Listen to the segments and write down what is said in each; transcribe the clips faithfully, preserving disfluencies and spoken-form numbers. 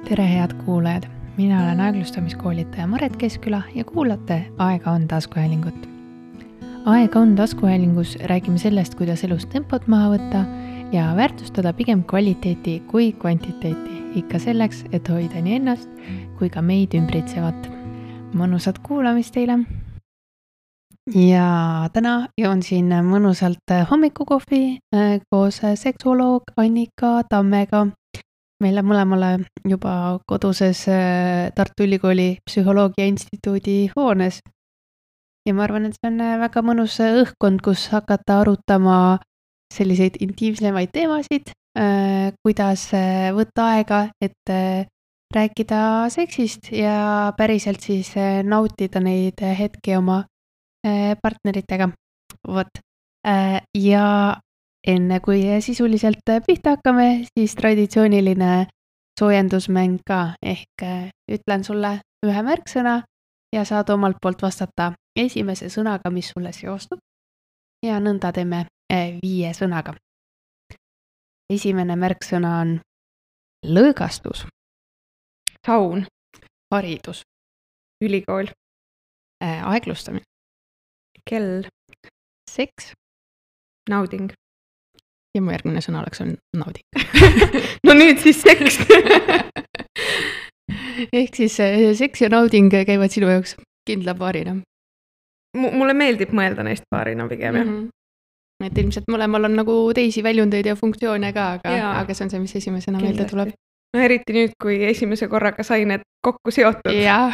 Tere head kuulajad, mina olen aeglustamiskoolitaja Maret Keskküla ja kuulate Aega on taskuhäälingut. Aega on taskuhäälingus räägime sellest, kuidas elus tempot maha võtta ja väärtustada pigem kvaliteeti kui kvantiteeti, ikka selleks, et hoida nii ennast kui ka meid ümbritsevat. Mõnusat kuulamist teile! Ja täna joon siin mõnusalt hommikukohvi koos seksuoloog Annika Tammega. Meile mõlemale juba koduses Tartu Ülikooli Psühholoogia Instituudi hoones. Ja ma arvan, et see on väga mõnus õhkkond, kus hakata arutama selliseid intiimsemaid teemasid, kuidas võtta aega, et rääkida seksist ja päriselt siis nautida neid hetki oma partneritega. Vot. Ja enne kui sisuliselt pihta hakkame, siis traditsiooniline soojendusmäng ka, ehk ütlen sulle ühe märksõna ja saad omalt poolt vastata esimese sõnaga, mis sulle seostub. Ja nõnda teeme viie sõnaga. Esimene märksõna on lõõgastus, saun, haridus, ülikool, aeglustamine, kell, seks nauding. Ja mu järgmine sõna oleks on nauding. No nüüd siis seks. Ehk siis seks ja nauding käivad sinu jaoks kindla paarina. M- mulle meeldib mõelda neist paarina pigem. Mm-hmm. Et ilmselt mõlemal on nagu teisi väljundeid ja funktsioone ka, aga, aga see on see, mis esimesena meelde tuleb. No eriti nüüd, kui esimese korraga sai need kokku seotud. Ja.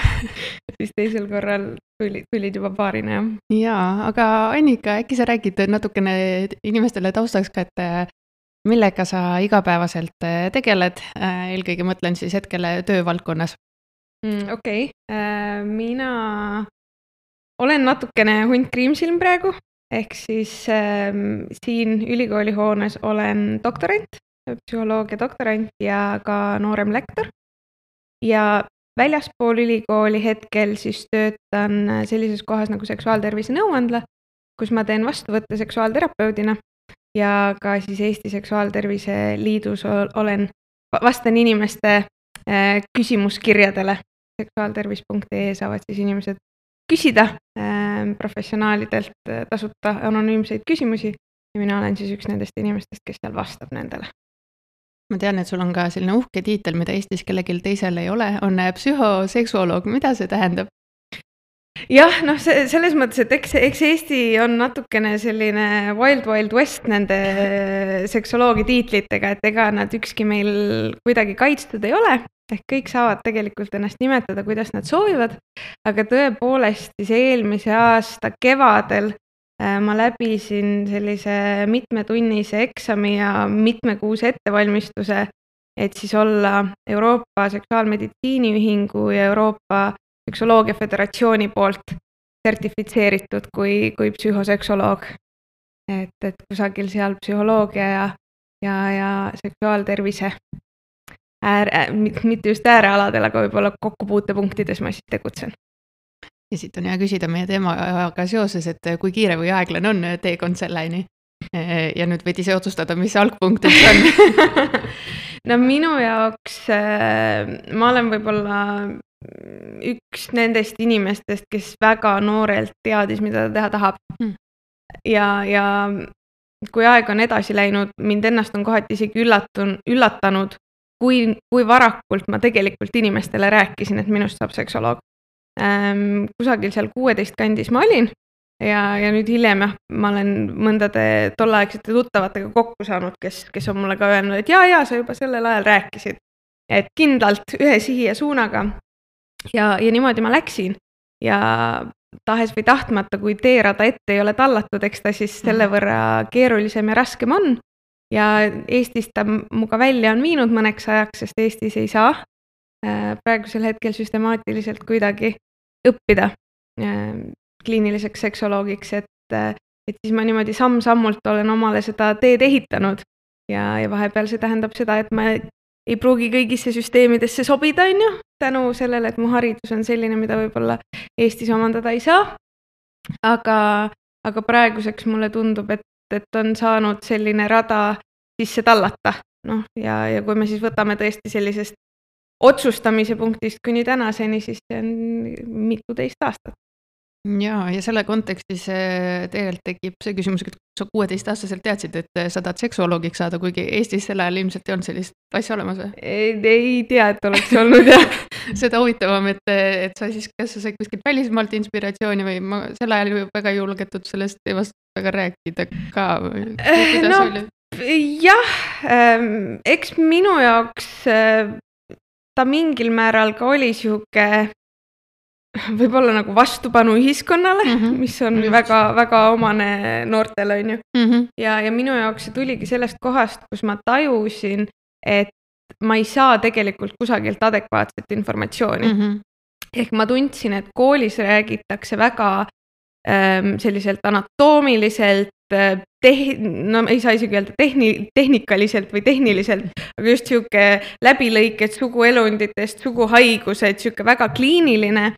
Siis teisel korral tulid, tulid juba paarina. Ja, aga Annika, äkki sa räägid natukene inimestele taustaks ka, et millega sa igapäevaselt tegeled, eelkõige mõtlen siis hetkele töövaldkonnas? Mm, Okei, okay. Mina olen natukene hunt kriimsilm praegu, ehk siis ähm, siin ülikooli hoones olen doktorant, psühholoogia doktorant ja ka noorem lektor. Ja väljaspool ülikooli hetkel siis töötan sellises kohas nagu seksuaaltervise nõuandla, kus ma teen vastuvõtte seksuaalterapeudina ja ka siis Eesti Seksuaaltervise Liidus olen, vastan inimeste küsimuskirjadele. seksuaaltervis punkt ee saavad siis inimesed küsida professionaalidelt tasuta anonüümseid küsimusi ja mina olen siis üks nendest inimestest, kes seal vastab nendele. Ma tean, et sul on ka selline uhke tiitel, mida Eestis kellelgi teisel ei ole, on psühhoseksuoloog. Mida see tähendab? Jah, noh, see, selles mõttes, et eks, eks Eesti on natukene selline wild, wild west nende seksoloogi tiitlitega, et ega nad ükski meil kuidagi kaitstud ei ole, ehk kõik saavad tegelikult ennast nimetada, kuidas nad soovivad, aga tõepoolest siis eelmise aasta kevadel ma läbisin sellise mitmetunnise eksami ja mitmekuuse ettevalmistuse, et siis olla Euroopa Seksuaalmeditsiiniühingu ja Euroopa Seksoloogia Föderatsiooni poolt sertifitseeritud kui, kui psühhoseksoloog. Et, et kusagil seal psühholoogia ja, ja, ja seksuaaltervise ääre, mitte just äärealadel, aga võib-olla kokkupuutepunktides ma siis tegutsen. Ja siit on hea küsida meie teemaga seoses, et kui kiire või aeglan on teekond selleni ja nüüd võid ise otsustada, mis algpunkt on. No minu jaoks ma olen võib-olla üks nendest inimestest, kes väga noorelt teadis, mida ta teha tahab. Hmm. Ja, ja kui aeg on edasi läinud, mind ennast on kohati isegi üllatun, üllatanud, kui, kui varakult ma tegelikult inimestele rääkisin, et minust saab seksoloog. Ähm, kusagil seal kuueteist kandis ma olin ja, ja nüüd hiljem jah, ma olen mõndade tolleaegsete tuttavatega kokku saanud, kes, kes on mulle ka öelnud, et jaa, jaa, sa juba sellel ajal rääkisid, et kindlalt ühe sihi ja suunaga ja, ja niimoodi ma läksin ja tahes või tahtmata, kui teerada ette ei ole tallatud, eks ta siis selle võrra keerulisem ja raskem on ja Eestis ta muga välja on viinud mõneks ajaks, sest Eestis ei saa praegusel hetkel süstemaatiliselt kuidagi õppida kliiniliseks seksoloogiks, et, et siis ma niimoodi samm-sammult olen omale seda teed ehitanud ja, ja vahepeal see tähendab seda, et ma ei pruugi kõigisse süsteemidesse sobida, on ju, tänu sellele, et mu haridus on selline, mida võib-olla Eestis omandada ei saa, aga, aga praeguseks mulle tundub, et, et on saanud selline rada sisse tallata, noh, ja, ja kui me siis võtame tõesti sellisest otsustamise punktist kuni tänaseni, siis see on mitu teist aastat. Ja, ja selle kontekstis tegelikult tekib see küsimus, et sa kuueteistaastaselt teadsid, et sa tahad seksuoloogiks saada, kuigi Eestis selle ajal ilmselt ei olnud sellist asja olemas või? Ei, ei tea, et oleks olnud jah. Seda huvitavam, et, et sa siis, kas sa said kuskilt välismaalt inspiratsiooni või ma selle ajal ju väga julgetud sellest teemast väga rääkida ka või kuidas no, oli? Jah, eks minu jaoks ta mingil määral ka oli sihuke võib-olla nagu vastupanu ühiskonnale, mm -hmm. mis on Just. väga, väga omane noortele, on ju. Mm -hmm. ja, ja minu jaoks see tuligi sellest kohast, kus ma tajusin, et ma ei saa tegelikult kusagilt adekvaatset informatsiooni. Mm -hmm. Ehk ma tundsin, et koolis räägitakse väga ähm, selliselt anatoomiliselt, teh-, no ei saa isegi öelda tehni-, tehnikaliselt või tehniliselt, aga just sihuke läbilõiked suguelunditest, suguhaigused, sihuke väga kliiniline.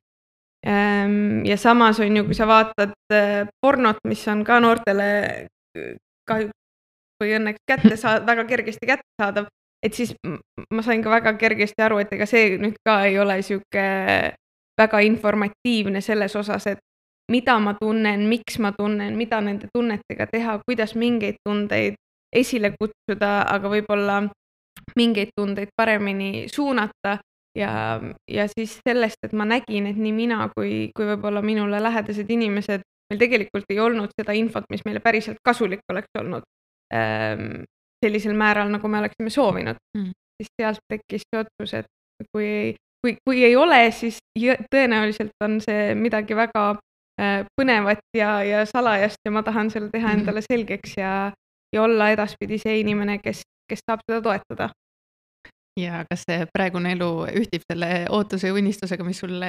Ja samas on ju, kui sa vaatad pornot, mis on ka noortele kahjuks või õnneks kätte saada, väga kergesti kätte saadav, et siis ma sain ka väga kergesti aru, et ega see nüüd ka ei ole sihuke väga informatiivne selles osas, et mida ma tunnen, miks ma tunnen, mida nende tunnetega teha, kuidas mingeid tundeid esile kutsuda, aga võib-olla mingeid tundeid paremini suunata. Ja, ja siis sellest, et ma nägin, et nii mina kui, kui võib-olla minule lähedased inimesed, meil tegelikult ei olnud seda infot, mis meile päriselt kasulik oleks olnud ähm, sellisel määral, nagu me oleksime soovinud. Mm. Siis sealt tekkis see otsus, et kui ei, kui, kui ei ole, siis tõenäoliselt on see midagi väga äh, põnevat ja, ja salajast ja ma tahan selle teha endale selgeks ja, ja olla edaspidi see inimene, kes, kes saab seda toetada. Ja kas see praegune elu ühtib selle ootuse ja unistusega, mis sulle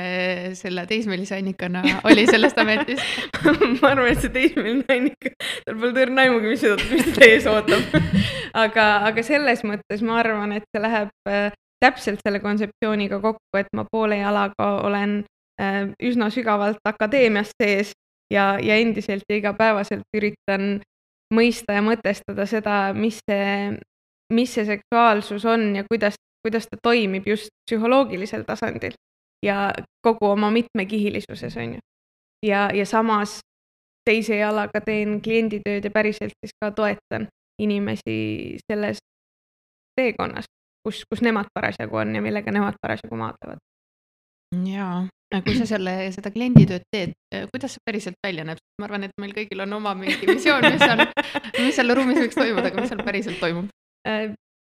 selle teismelise Annikana oli sellest ametis? Ma arvan, et see teismeline Annika, tal pole tõrn aimugi, mis seda mis ta ees ootab. aga, aga selles mõttes ma arvan, et see läheb äh, täpselt selle kontseptsiooniga kokku, et ma poole jalaga olen äh, üsna sügavalt akadeemias sees ja, ja endiselt ja igapäevaselt üritan mõista ja mõtestada seda, mis see mis see seksuaalsus on ja kuidas, kuidas ta toimib just psühholoogilisel tasandil ja kogu oma mitmekihilisuses on ju. Ja, ja samas teise jalaga teen klienditööd ja päriselt siis ka toetan inimesi selles teekonnas, kus, kus nemad parasjagu on ja millega nemad parasjagu maadlevad. Jaa, kui sa selle, seda klienditööd teed, kuidas see päriselt välja näeb? Ma arvan, et meil kõigil on oma mingi visioon, mis, on, mis selle ruumis võiks toimuda, aga mis seal päriselt toimub?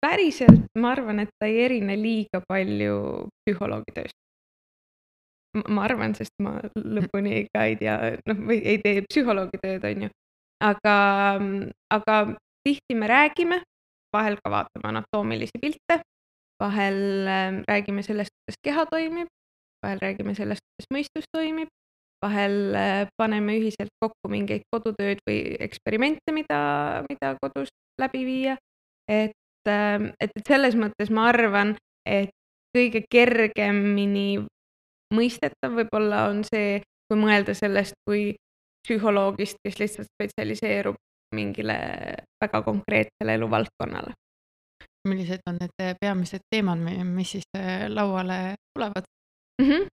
Päriselt ma arvan, et ta ei erine liiga palju psühholoogi tööst. Ma arvan, sest ma lõpuni ka ei tea, noh, või ei tee psühholoogi tööd, on ju. Aga, aga tihti me räägime, vahel ka vaatame anatoomilisi pilte, vahel räägime sellest, kuidas keha toimib, vahel räägime sellest, kuidas mõistus toimib, vahel paneme ühiselt kokku mingeid kodutööd või eksperimente, mida, mida kodus läbi viia. Et, et, et selles mõttes ma arvan, et kõige kergemini mõistetav võib-olla on see, kui mõelda sellest kui psühholoogist, kes lihtsalt spetsialiseerub mingile väga konkreetsele eluvaldkonnale. Millised on need peamised teemad, mis siis lauale tulevad? Mm-hmm.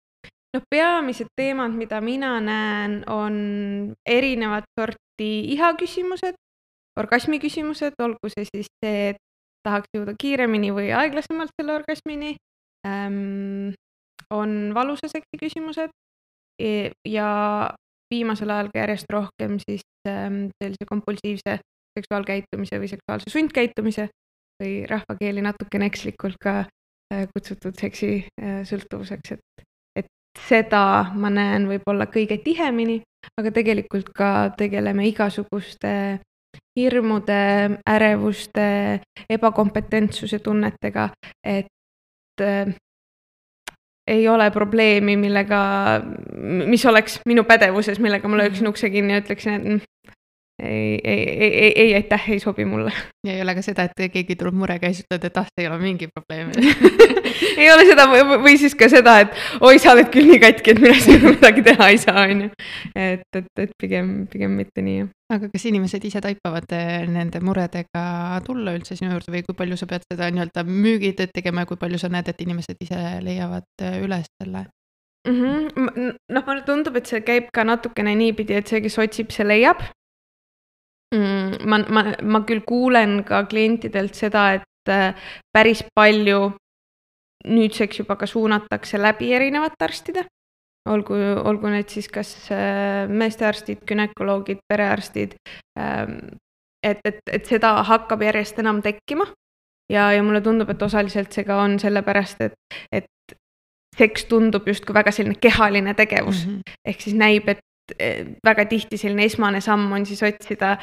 No peamised teemad, mida mina näen, on erinevat sorti iha küsimused, orgasmi küsimused, olgu see siis see, et tahaks jõuda kiiremini või aeglasemalt selle orgasmini, ähm, on valusa seksi küsimused ja viimasel ajal ka järjest rohkem siis ähm, sellise kompulsiivse seksuaalkäitumise või seksuaalse sundkäitumise või rahvakeeli natukene ekslikult ka äh, kutsutud seksi äh, sõltuvuseks, et, et seda ma näen võib-olla kõige tihemini, aga tegelikult ka tegeleme igasuguste hirmude, ärevuste, ebakompetentsuse tunnetega, et äh, ei ole probleemi, millega, mis oleks minu pädevuses, millega ma lööksin ukse kinni ja ütleksin, et ei, ei, ei, ei, ei, aitäh, ei sobi mulle. Ja ei ole ka seda, et keegi tuleb murega ja siis ütled, et ah, ei ole mingi probleem. ei ole seda või, või siis ka seda, et oi, sa oled küll nii katki, et mina sinuga midagi teha ei saa, on ju. Et, et, et pigem, pigem mitte nii. Aga kas inimesed ise taipavad nende muredega tulla üldse sinu juurde või kui palju sa pead seda nii-öelda müügitööd tegema ja kui palju sa näed, et inimesed ise leiavad üles selle? Mm-hmm. Noh, mulle tundub, et see käib ka natukene niipidi, et see, kes otsib, see leiab. Mm, ma, ma, ma küll kuulen ka klientidelt seda, et päris palju nüüdseks juba ka suunatakse läbi erinevate arstide. Olgu, olgu need siis kas meestearstid, gynekoloogid, perearstid. Et, et, et seda hakkab järjest enam tekkima. Ja, ja mulle tundub, et osaliselt see ka on sellepärast, et, et seks tundub justkui väga selline kehaline tegevus. Mm-hmm. Ehk siis näib, et väga tihti selline esmane samm on siis otsida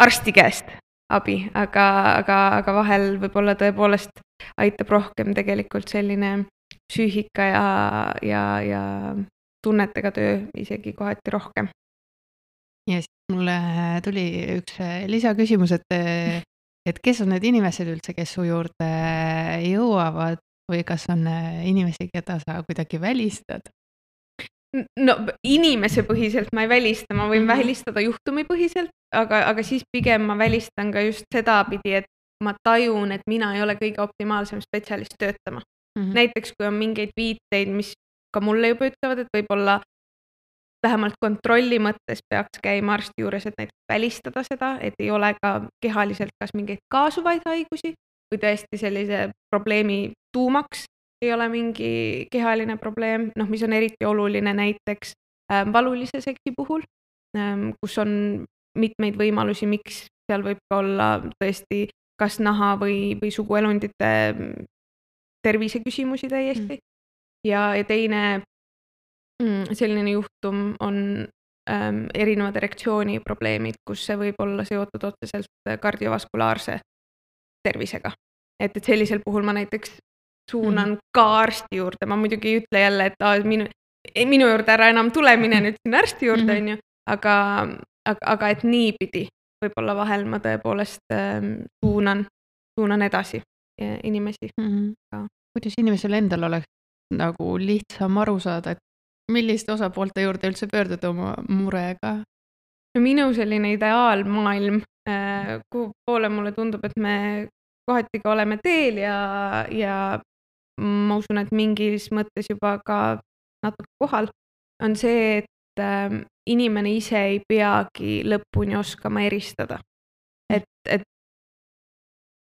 arsti käest abi, aga, aga, aga vahel võib-olla tõepoolest aitab rohkem tegelikult selline psüühika ja, ja, ja tunnetega töö isegi kohati rohkem. Ja siis mulle tuli üks lisaküsimus, et, et kes on need inimesed üldse, kes su juurde jõuavad või kas on inimesi, keda sa kuidagi välistad? No inimese põhiselt ma ei välista, ma võin mm-hmm. välistada juhtumi põhiselt, aga, aga siis pigem ma välistan ka just seda pidi, et ma tajun, et mina ei ole kõige optimaalsem spetsialist töötama. Mm-hmm. Näiteks kui on mingeid viiteid, mis ka mulle juba ütlevad, et võib-olla vähemalt kontrolli mõttes peaks käima arsti juures, et näiteks välistada seda, et ei ole ka kehaliselt kas mingeid kaasuvaid haigusi või tõesti sellise probleemi tuumaks ei ole mingi kehaline probleem, noh, mis on eriti oluline näiteks äh, valulise seksi puhul, äh, kus on mitmeid võimalusi, miks seal võib ka olla tõesti kas naha või, või suguelundite terviseküsimusi täiesti. Mm. Ja, ja teine mm, selline juhtum on ähm, erinevad erektsiooniprobleemid, kus see võib olla seotud otseselt kardiovaskulaarse tervisega. Et, et sellisel puhul ma näiteks suunan mm-hmm. ka arsti juurde, ma muidugi ei ütle jälle, et ah, minu, minu juurde ära enam tule, mine nüüd sinna arsti juurde, mm-hmm. on ju, aga, aga, aga et niipidi võib-olla vahel ma tõepoolest ähm, suunan, suunan edasi inimesi. Mm-hmm. Kuidas inimesel endal oleks nagu lihtsam aru saada, et milliste osapoolte juurde üldse pöörduda oma murega? No minu selline ideaalmaailm, äh, kuhu poole mulle tundub, et me kohati ka oleme teel ja, ja ma usun, et mingis mõttes juba ka natuke kohal, on see, et äh, inimene ise ei peagi lõpuni oskama eristada. Et, et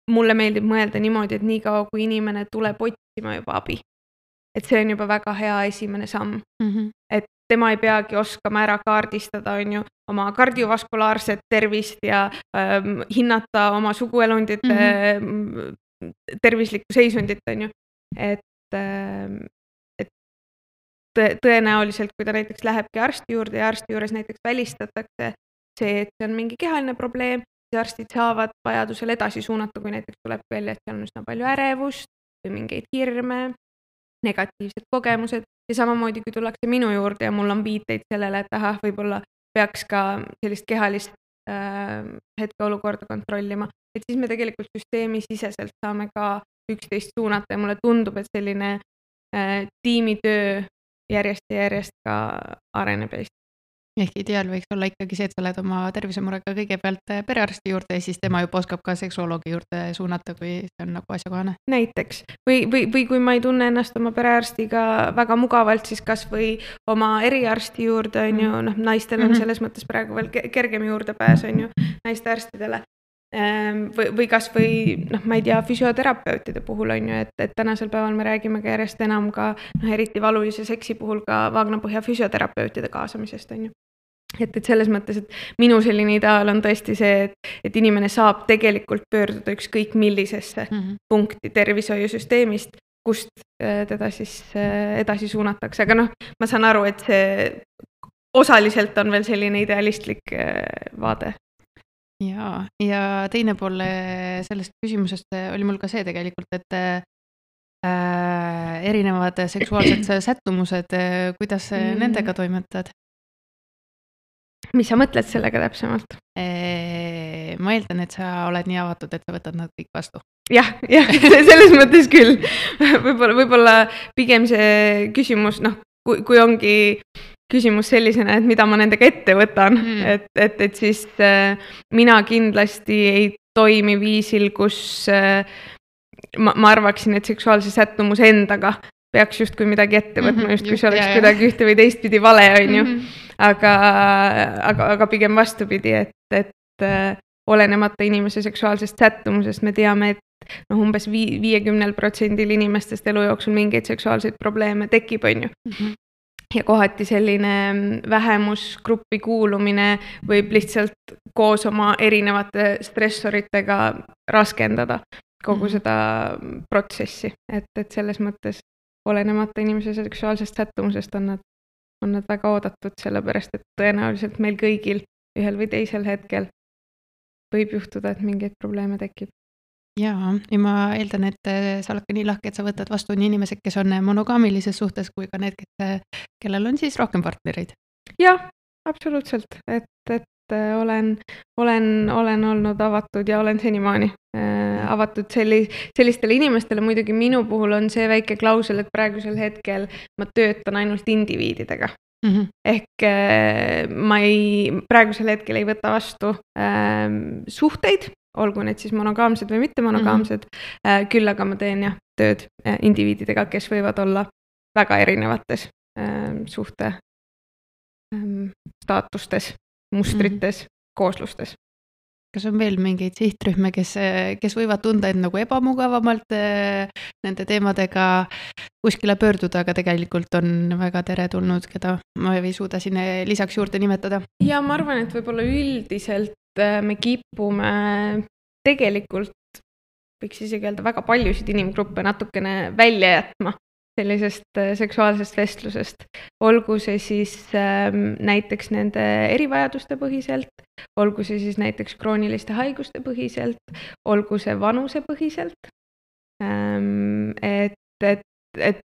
mulle meeldib mõelda niimoodi, et nii kaua, kui inimene tuleb otsima juba abi. Et see on juba väga hea esimene samm. Mm-hmm. Et tema ei peagi oskama ära kaardistada, on ju, oma kardiovaskulaarset tervist ja ähm, hinnata oma suguelundite mm-hmm. tervislikku seisundit, on ju. Et, et tõenäoliselt, kui ta näiteks lähebki arsti juurde ja arsti juures näiteks välistatakse see, et see on mingi kehaline probleem, siis arstid saavad vajadusel edasi suunata, kui näiteks tuleb välja, et seal on üsna palju ärevust või mingeid hirme, negatiivsed kogemused ja samamoodi, kui tullakse minu juurde ja mul on viiteid sellele, et ahah, võib-olla peaks ka sellist kehalist äh, hetkeolukorda kontrollima, et siis me tegelikult süsteemi siseselt saame ka üksteist suunata ja mulle tundub, et selline äh, tiimitöö järjest ja järjest ka areneb Eestis. Ehk ideaal võiks olla ikkagi see, et sa lähed oma tervisemurega kõigepealt perearsti juurde ja siis tema juba oskab ka seksuoloogi juurde suunata, kui see on nagu asjakohane. Näiteks. Või, või, või kui ma ei tunne ennast oma perearstiga väga mugavalt, siis kas või oma eriarsti juurde on ju, noh, naistel on selles mõttes praegu veel kergem juurdepääs on ju naiste arstidele. Või, või kas või, noh, ma ei tea, füsioterapeutide puhul on ju, et, et tänasel päeval me räägime ka järjest enam ka, noh, eriti valulise seksi puhul ka vaagnapõhja füsioterapeutide kaasamisest on ju. Et, et selles mõttes, et minu selline ideaal on tõesti see, et, et inimene saab tegelikult pöörduda ükskõik millisesse mm-hmm. punkti tervishoiusüsteemist, kust teda siis edasi suunatakse, aga noh, ma saan aru, et see osaliselt on veel selline idealistlik vaade. Ja, ja teine pool sellest küsimusest oli mul ka see tegelikult, et äh, erinevad seksuaalsed sättumused, kuidas mm. nendega toimetad? mis sa mõtled sellega täpsemalt? Ma eeldan, et sa oled nii avatud, et sa võtad nad kõik vastu. Jah, jah, selles mõttes küll. Võib-olla, võib-olla pigem see küsimus, noh, kui, kui ongi küsimus sellisena, et mida ma nendega ette võtan, mm. et, et, et siis äh, mina kindlasti ei toimi viisil, kus äh, ma, ma arvaksin, et seksuaalse sättumus endaga peaks justkui midagi ette võtma, mm-hmm, just kui see oleks jah, kuidagi ühte või teistpidi vale, on ju. Mm-hmm. Aga, aga, aga pigem vastupidi, et, et äh, olenemata inimese seksuaalsest sättumusest me teame, et noh, umbes vii, viiekümnel protsendil inimestest elu jooksul mingeid seksuaalseid probleeme tekib, on ju. Mm-hmm. Ja kohati selline vähemusgruppi kuulumine võib lihtsalt koos oma erinevate stressoritega raskendada kogu mm-hmm. seda protsessi, et, et selles mõttes olenemata inimese seksuaalsest sättumusest on nad, on nad väga oodatud, sellepärast et tõenäoliselt meil kõigil ühel või teisel hetkel võib juhtuda, et mingeid probleeme tekib. Jaa, ja ma eeldan, et sa oled ka nii lahke, et sa võtad vastu nii inimesed, kes on monogaamilises suhtes, kui ka need, kes, kellel on siis rohkem partnereid. Jah, absoluutselt, et, et olen, olen, olen olnud avatud ja olen senimaani äh, avatud selli, sellistele inimestele. Muidugi minu puhul on see väike klausel, et praegusel hetkel ma töötan ainult indiviididega. Mm-hmm. Ehk äh, ma ei, praegusel hetkel ei võta vastu äh, suhteid, olgu need siis monogaamsed või mitte monogaamsed, mm-hmm. küll aga ma teen jah, tööd indiviididega, kes võivad olla väga erinevates äh, suhte äh, staatustes, mustrites, mm-hmm. kooslustes. Kas on veel mingeid sihtrühme, kes, kes võivad tunda end nagu ebamugavamalt äh, nende teemadega kuskile pöörduda, aga tegelikult on väga teretulnud, keda ma ei suuda sinna lisaks juurde nimetada? Ja ma arvan, et võib-olla üldiselt me kipume tegelikult, võiks isegi öelda, väga paljusid inimgruppe natukene välja jätma sellisest seksuaalsest vestlusest. Olgu see siis ähm, näiteks nende erivajaduste põhiselt, olgu see siis näiteks krooniliste haiguste põhiselt, olgu see vanuse põhiselt. Ähm, et, et, et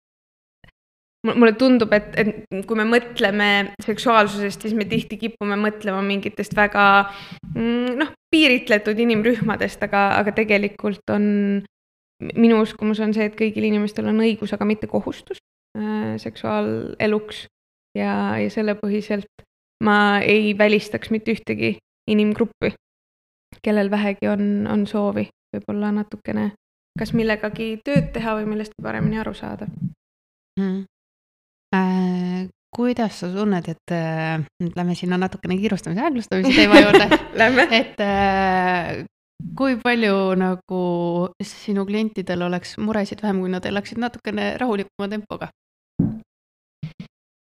mulle tundub, et, et kui me mõtleme seksuaalsusest, siis me tihti kipume mõtlema mingitest väga noh, piiritletud inimrühmadest, aga, aga tegelikult on, minu uskumus on see, et kõigil inimestel on õigus, aga mitte kohustus äh, seksuaaleluks ja, ja selle põhiselt ma ei välistaks mitte ühtegi inimgruppi, kellel vähegi on, on soovi võib-olla natukene kas millegagi tööd teha või millest paremini aru saada. Mm. Äh, kuidas sa tunned, et äh, lähme sinna natukene kiirustamise aeglustamise teema juurde, et äh, kui palju nagu sinu klientidel oleks muresid vähem, kui nad elaksid natukene rahulikuma tempoga?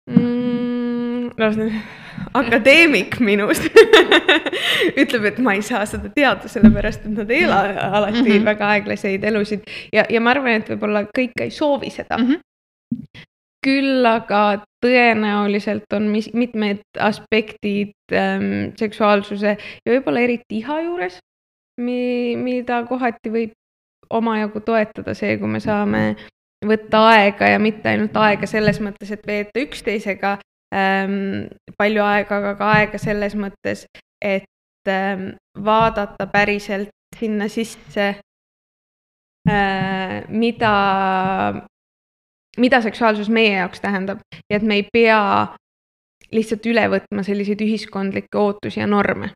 Mm, no, akadeemik minust ütleb, et ma ei saa seda teada, sellepärast, et nad ei ela alati mm-hmm. väga aeglaseid elusid ja, ja ma arvan, et võib-olla kõik ei soovi seda. Mm-hmm. Küll aga tõenäoliselt on mis, mitmed aspektid ähm, seksuaalsuse ja võib-olla eriti iha juures, mi, mida kohati võib omajagu toetada see, kui me saame võtta aega ja mitte ainult aega selles mõttes, et veeta üksteisega ähm, palju aega, aga ka aega selles mõttes, et ähm, vaadata päriselt sinna sisse, äh, mida mida seksuaalsus meie jaoks tähendab ja et me ei pea lihtsalt üle võtma selliseid ühiskondlikke ootusi ja norme.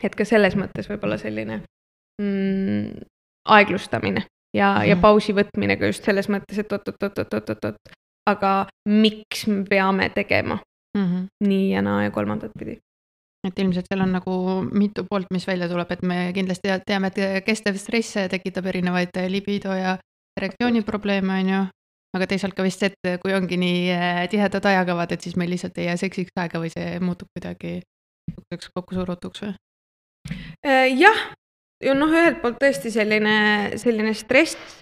Et ka selles mõttes võib-olla selline mm, aeglustamine ja, mm-hmm. ja pausi võtmine ka just selles mõttes, et oot, oot, oot, oot, oot, oot, aga miks me peame tegema mm-hmm. nii ja naa ja kolmandat pidi. Et ilmselt seal on nagu mitu poolt, mis välja tuleb, et me kindlasti teame, et kestev stress tekitab erinevaid libido ja reaktsiooniprobleeme on ju, aga teisalt ka vist see, et kui ongi nii tihedad ajakavad, et siis meil lihtsalt ei jää seksiks aega või see muutub kuidagi kokku surutuks või? Jah, noh ühelt poolt tõesti selline, selline stress,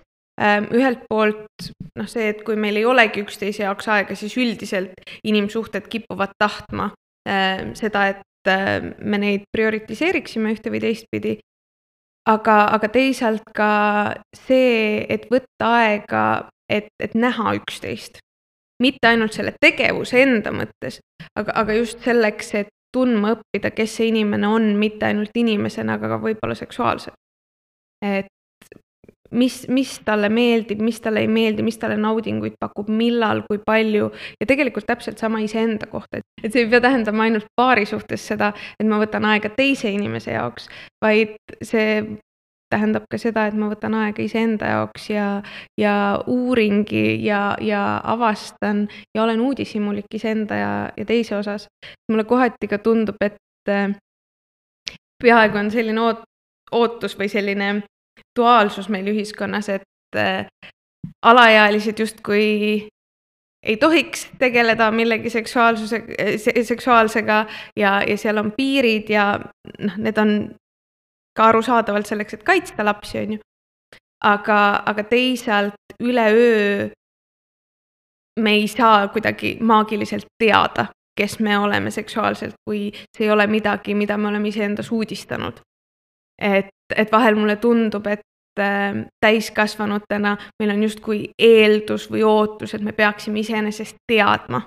ühelt poolt noh see, et kui meil ei olegi üksteise jaoks aega, siis üldiselt inimsuhted kipuvad tahtma seda, et me neid prioritiseeriksime ühte või teistpidi. Aga, aga teisalt ka see, et võtta aega, et, et näha üksteist. mitte ainult selle tegevuse enda mõttes, aga, aga just selleks, et tundma õppida, kes see inimene on, mitte ainult inimesena, aga ka võib-olla seksuaalselt. Et mis, mis talle meeldib, mis talle ei meeldi, mis talle naudinguid pakub, millal, kui palju ja tegelikult täpselt sama iseenda kohta. Et see ei pea tähendama ainult paari suhtes seda, et ma võtan aega teise inimese jaoks, vaid see tähendab ka seda, et ma võtan aega iseenda jaoks ja, ja uuringi ja, ja avastan ja olen uudishimulik iseenda ja, ja teise osas. Mulle kohati ka tundub, et peaaegu on selline oot, ootus või selline duaalsus meil ühiskonnas, et äh, alaealised justkui ei tohiks tegeleda millegi seksuaalsuse, seksuaalsega ja, ja seal on piirid ja noh, need on ka arusaadavalt selleks, et kaitsta lapsi, on ju. Aga, aga teisalt üleöö me ei saa kuidagi maagiliselt teada, kes me oleme seksuaalselt, kui see ei ole midagi, mida me oleme iseendas uudistanud. Et, et vahel mulle tundub, et äh, täiskasvanutena meil on justkui eeldus või ootus, et me peaksime iseenesest teadma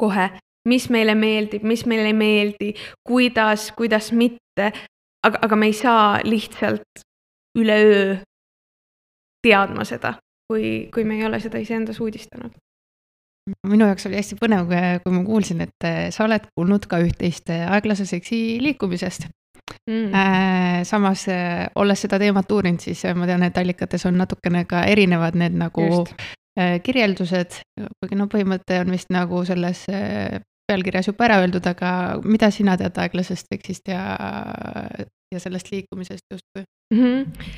kohe, mis meile meeldib, mis meile ei meeldi, kuidas, kuidas mitte, aga, aga me ei saa lihtsalt üleöö teadma seda, kui, kui me ei ole seda iseendas uudistanud. Minu jaoks oli hästi põnev, kui ma kuulsin, et sa oled kuulnud ka üht-teist aeglase seksi liikumisest. Mm. Samas, olles seda teemat uurinud, siis ma tean, et allikates on natukene ka erinevad need nagu Just. kirjeldused, kuigi no põhimõte on vist nagu selles pealkirjas juba ära öeldud, aga mida sina tead aeglasest seksist ja, ja sellest liikumisest justkui? Mm-hmm.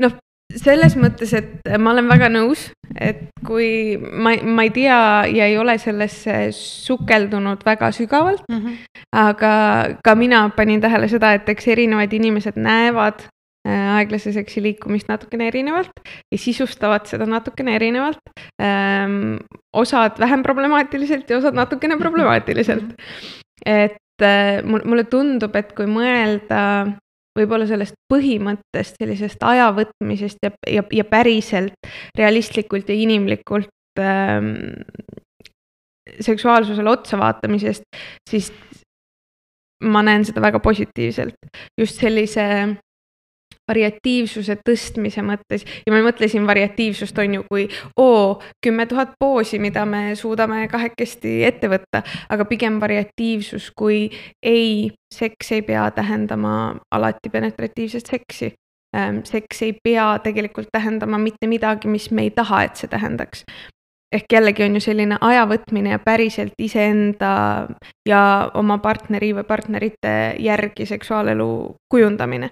Noh, selles mõttes, et ma olen väga nõus, et kui ma, ma ei tea ja ei ole sellesse sukeldunud väga sügavalt, mm-hmm. aga ka mina panin tähele seda, et eks erinevad inimesed näevad aeglase seksi liikumist natukene erinevalt ja sisustavad seda natukene erinevalt. Ähm, osad vähem problemaatiliselt ja osad natukene problemaatiliselt. Et äh, mulle tundub, et kui mõelda võib-olla sellest põhimõttest, sellisest aja võtmisest ja, ja, ja päriselt realistlikult ja inimlikult ähm, seksuaalsusele otsa vaatamisest, siis ma näen seda väga positiivselt. Just sellise variatiivsuse tõstmise mõttes ja ma mõtlesin variatiivsust on ju kui oo, kümme tuhat poosi, mida me suudame kahekesti ette võtta, aga pigem variatiivsus kui ei, seks ei pea tähendama alati penetratiivset seksi. Seks ei pea tegelikult tähendama mitte midagi, mis me ei taha, et see tähendaks. Ehk jällegi on ju selline ajavõtmine ja päriselt iseenda ja oma partneri või partnerite järgi seksuaalelu kujundamine.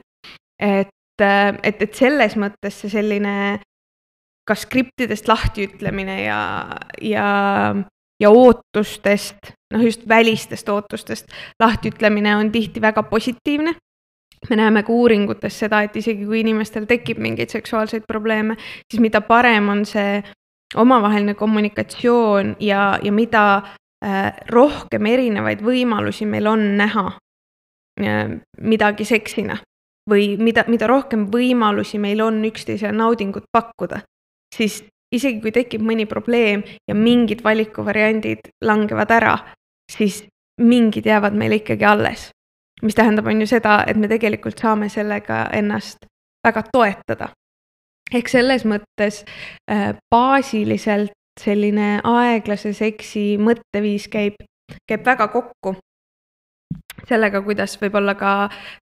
Et Et, et selles mõttes see selline ka skriptidest lahtiütlemine ja, ja, ja ootustest, noh just välistest ootustest lahtiütlemine on tihti väga positiivne. Me näeme ka uuringutes seda, et isegi kui inimestel tekib mingeid seksuaalseid probleeme, siis mida parem on see omavaheline kommunikatsioon ja, ja mida äh, rohkem erinevaid võimalusi meil on näha äh, midagi seksina. Või mida, mida rohkem võimalusi meil on üksteisele naudingut pakkuda, siis isegi kui tekib mõni probleem ja mingid valikuvariandid langevad ära, siis mingid jäävad meile ikkagi alles. Mis tähendab on ju seda, et me tegelikult saame sellega ennast väga toetada. Ehk selles mõttes äh, baasiliselt selline aeglase seksi mõtteviis käib, käib väga kokku. Sellega, kuidas võib-olla ka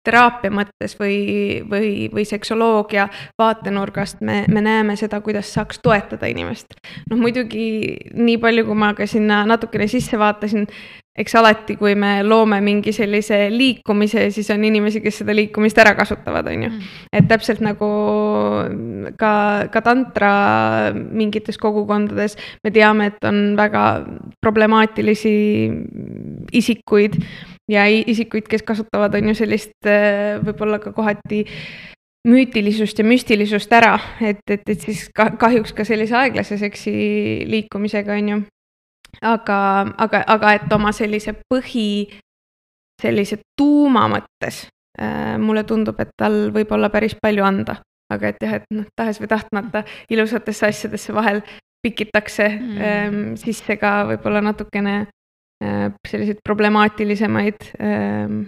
teraapia mõttes või, või, või seksoloogia vaatenurgast me, me näeme seda, kuidas saaks toetada inimest. Noh, muidugi nii palju, kui ma ka sinna natukene sisse vaatasin, eks alati, kui me loome mingi sellise liikumise, siis on inimesi, kes seda liikumist ära kasutavad, on ju. Et täpselt nagu ka, ka tantra mingites kogukondades me teame, et on väga problemaatilisi isikuid ja isikuid, kes kasutavad on ju sellist võib-olla ka kohati müütilisust ja müstilisust ära, et, et, et siis kahjuks ka sellise aeglase seksi liikumisega on ju. Aga, aga, aga et oma sellise põhi, sellise tuuma mõttes äh, mulle tundub, et tal võib olla päris palju anda. Aga et jah, et noh, tahes või tahtmata ilusatesse asjadesse vahel pikitakse mm. ähm, sisse ka võib-olla natukene äh, selliseid problemaatilisemaid ähm,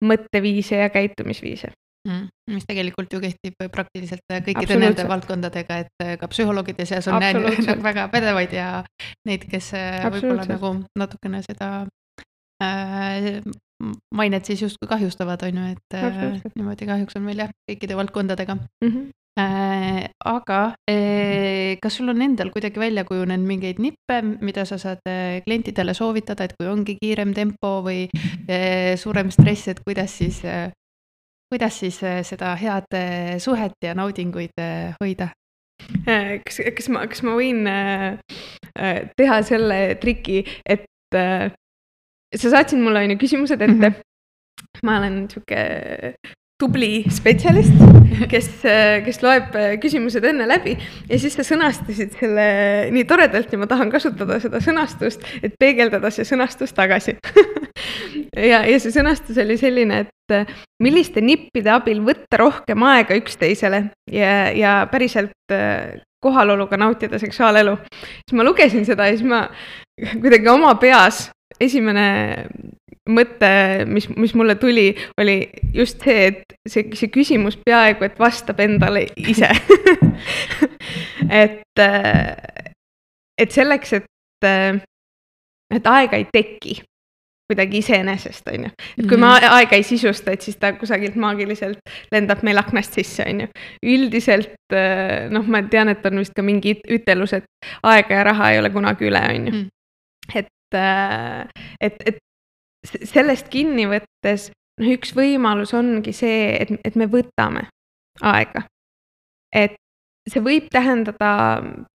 mõtteviise ja käitumisviise. Mm, mis tegelikult ju kehtib praktiliselt kõikide nende valdkondadega, et ka psühholoogide seas on näinud väga pädevaid ja neid, kes võib-olla nagu natukene seda äh, mainet siis justkui kahjustavad, on ju, et äh, niimoodi kahjuks on meil jah kõikide valdkondadega. Mm -hmm. äh, aga äh, kas sul on endal kuidagi välja kujunenud mingeid nippe, mida sa saad klientidele soovitada, et kui ongi kiirem tempo või äh, suurem stress, et kuidas siis äh, kuidas siis seda head suhet ja naudinguid hoida? Kas, kas, ma, kas ma võin teha selle triki, et sa saatsid mulle ainu küsimused ette. Mm-hmm. Ma olen niisugune tubli spetsialist, kes, kes loeb küsimused enne läbi ja siis sa sõnastasid selle nii toredalt ja ma tahan kasutada seda sõnastust, et peegeldada see sõnastus tagasi. ja, ja see sõnastus oli selline, et milliste nippide abil võtta rohkem aega üksteisele ja, ja päriselt kohaloluga nautida seksuaalelu. Siis ma lugesin seda ja siis ma kuidagi oma peas esimene mõte, mis, mis mulle tuli, oli just see, et see, see küsimus peaaegu, et vastab endale ise. et, et selleks, et, et aega ei teki kuidagi iseenesest, on ju. Et kui ma aega ei sisusta, et siis ta kusagilt maagiliselt lendab meil aknast sisse, on ju. Üldiselt, noh, ma tean, et on vist ka mingi ütelus, et aega ja raha ei ole kunagi üle, on ju. Et, et, et sellest kinni võttes, noh, üks võimalus ongi see, et, et me võtame aega. Et see võib tähendada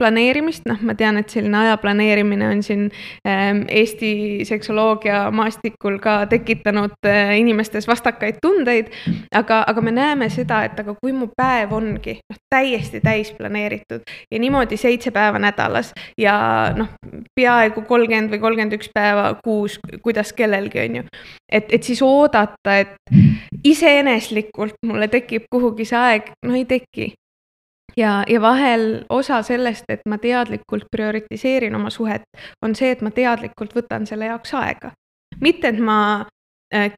planeerimist, noh, ma tean, et selline aja planeerimine on siin ähm, Eesti seksoloogia maastikul ka tekitanud äh, inimestes vastakaid tundeid, aga, aga me näeme seda, et aga kui mu päev ongi noh, täiesti täis planeeritud ja niimoodi seitse päeva nädalas ja noh, peaaegu kolmkümmend või kolmkümmend üks päeva kuus, kuidas kellelgi on ju, et, et siis oodata, et iseeneslikult mulle tekib kuhugi see aeg, no ei teki. Ja, ja vahel osa sellest, et ma teadlikult prioritiseerin oma suhet, on see, et ma teadlikult võtan selle jaoks aega. Mitte, et ma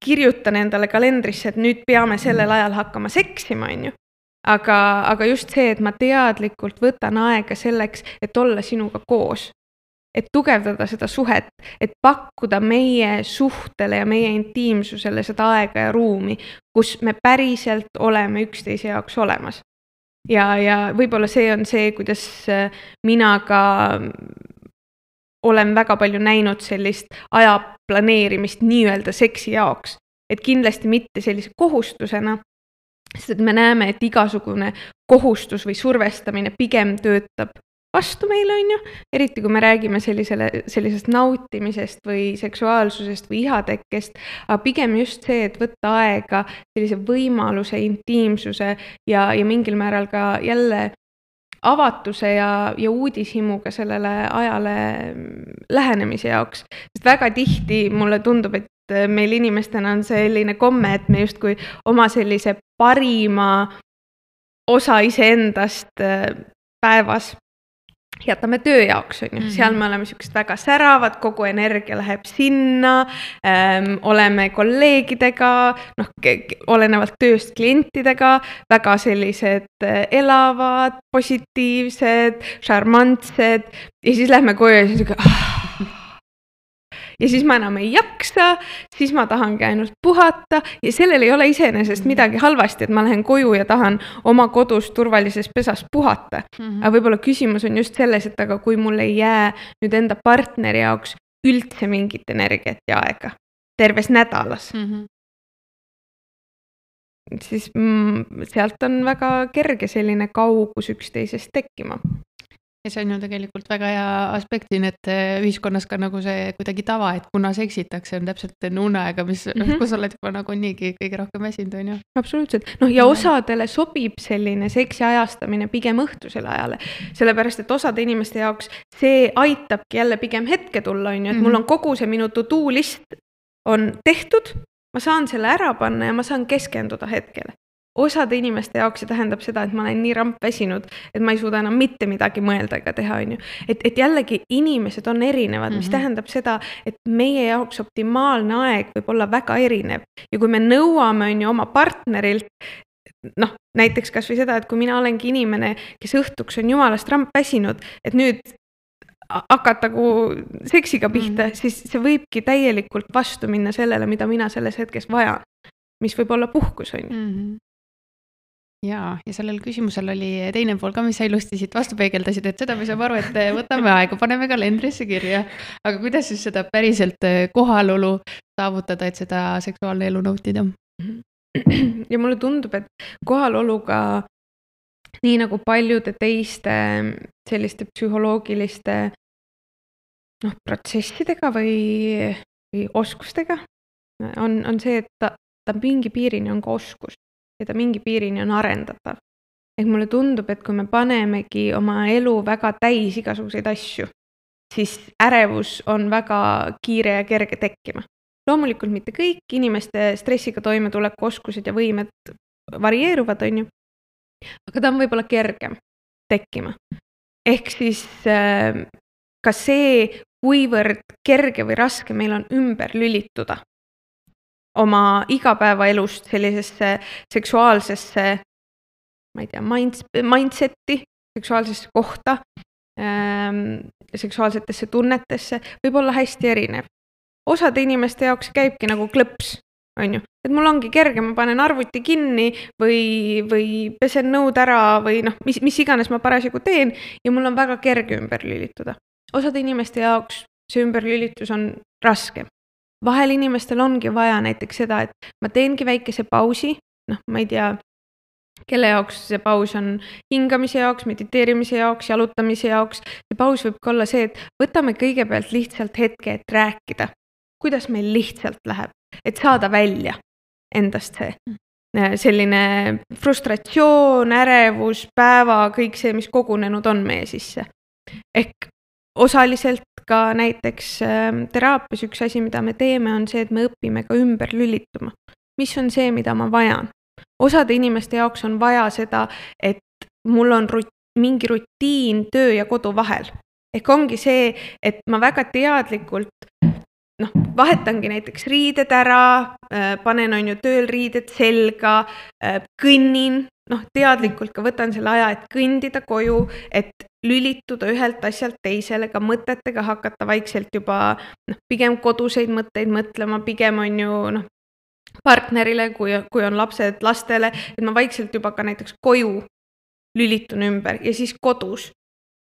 kirjutan endale kalendrisse, et nüüd peame sellel ajal hakkama seksima, on ju. Aga, aga just see, et ma teadlikult võtan aega selleks, et olla sinuga koos. Et tugevdada seda suhet, et pakkuda meie suhtele ja meie intiimsusele seda aega ja ruumi, kus me päriselt oleme üksteise jaoks olemas. Ja, ja võib-olla see on see, kuidas mina ka olen väga palju näinud sellist aja planeerimist nii-öelda seksi jaoks. Et kindlasti mitte sellise kohustusena, sest et me näeme, et igasugune kohustus või survestamine pigem töötab vastu meile, on ju, eriti kui me räägime sellisele, sellisest nautimisest või seksuaalsusest või ihatekkest, aga pigem just see, et võtta aega sellise võimaluse, intiimsuse ja, ja mingil määral ka jälle avatuse ja, ja uudishimuga sellele ajale lähenemise jaoks. Sest väga tihti mulle tundub, et meil inimestena on selline komme, et me justkui oma sellise parima osa iseendast päevas jätame töö jaoks, on ju. Mm-hmm. Seal me oleme siuksed väga säravad, kogu energia läheb sinna, ähm, oleme kolleegidega, noh, olenevalt tööst klientidega, väga sellised elavad, positiivsed, šarmantsed ja siis lähme koju ja siis ah, ja siis ma enam ei jaksa, siis ma tahangi ainult puhata ja sellel ei ole iseenesest midagi halvasti, et ma lähen koju ja tahan oma kodus turvalises pesas puhata. Mm-hmm. Aga võib-olla küsimus on just selles, et aga kui mul ei jää nüüd enda partneri jaoks üldse mingit energiat ja aega terves nädalas, mm-hmm. siis mm, sealt on väga kerge selline kaugus üksteisest tekkima. Ja see on ju tegelikult väga hea aspektin, et ühiskonnas ka nagu see kuidagi tava, et kuna seksitakse, on täpselt enne uneaega, mis, mm-hmm. kus oled juba nagu niigi kõige rohkem väsinud, on ju. Absoluutselt. Noh, ja osadele sobib selline seksi ajastamine pigem õhtusele ajale. Sellepärast, et osade inimeste jaoks see aitabki jälle pigem hetke tulla, on ju, et mm-hmm. mul on kogu see minu to-do list on tehtud, ma saan selle ära panna ja ma saan keskenduda hetkele. osade inimeste jaoks see tähendab seda, et ma olen nii rampväsinud, et ma ei suuda enam mitte midagi mõelda ega teha, on ju. Et, et jällegi inimesed on erinevad, mis mm -hmm. tähendab seda, et meie jaoks optimaalne aeg võib olla väga erinev. Ja kui me nõuame, on ju, oma partnerilt, noh, näiteks kas või seda, et kui mina olengi inimene, kes õhtuks on jumalast rampväsinud, et nüüd hakata nagu seksiga pihta, mm -hmm. siis see võibki täielikult vastu minna sellele, mida mina selles hetkes vajan, mis võib olla puhkus, on ju. Mm -hmm. Jaa, ja sellel küsimusel oli teine pool ka, mis sa ilusti siit vastu peegeldasid, et seda me saame aru, et võtame aega, paneme kalendrisse kirja. Aga kuidas siis seda päriselt kohalolu saavutada, et seda seksuaalne elu nautida? Ja mulle tundub, et kohaloluga nii nagu paljude teiste selliste psühholoogiliste noh, protsessidega või, või oskustega on, on see, et ta, ta mingi piirini on ka oskus ja ta mingi piirini on arendatav. Ehk mulle tundub, et kui me panemegi oma elu väga täis igasuguseid asju, siis ärevus on väga kiire ja kerge tekkima. Loomulikult mitte kõik inimeste stressiga toimetuleku oskused ja võimed varieeruvad, on ju. Aga ta on võib-olla kergem tekkima. Ehk siis äh, ka see, kuivõrd kerge või raske meil on ümber lülituda oma igapäevaelust sellisesse seksuaalsesse, ma ei tea, mindseti, seksuaalsesse kohta, ähm, seksuaalsetesse tunnetesse, võib olla hästi erinev. Osade inimeste jaoks käibki nagu klõps, on ju. Et mul ongi kerge, ma panen arvuti kinni või, või pesen nõud ära või noh, mis, mis iganes ma parasjagu teen ja mul on väga kerge ümber lülituda. Osade inimeste jaoks see ümberlülitus on raskem. Vahel inimestel ongi vaja näiteks seda, et ma teengi väikese pausi, noh, ma ei tea, kelle jaoks see paus on hingamise jaoks, mediteerimise jaoks, jalutamise jaoks. See paus võib ka olla see, et võtame kõigepealt lihtsalt hetke, et rääkida, kuidas meil lihtsalt läheb, et saada välja endast see selline frustratsioon, ärevus, päeva, kõik see, mis kogunenud on meie sisse. Ehk osaliselt ka näiteks teraapias üks asi, mida me teeme, on see, et me õpime ka ümber lülituma. Mis on see, mida ma vajan? Osade inimeste jaoks on vaja seda, et mul on rut- mingi rutiin töö ja kodu vahel. Ehk ongi see, et ma väga teadlikult noh, vahetangi näiteks riided ära, panen on ju tööl riided selga, kõnnin, noh, teadlikult ka võtan selle aja, et kõndida koju, et lülituda ühelt asjalt teisele, ka mõtetega hakata vaikselt juba noh, pigem koduseid mõtteid mõtlema, pigem on ju noh, partnerile, kui, kui on lapsed lastele, et ma vaikselt juba ka näiteks koju lülitun ümber ja siis kodus.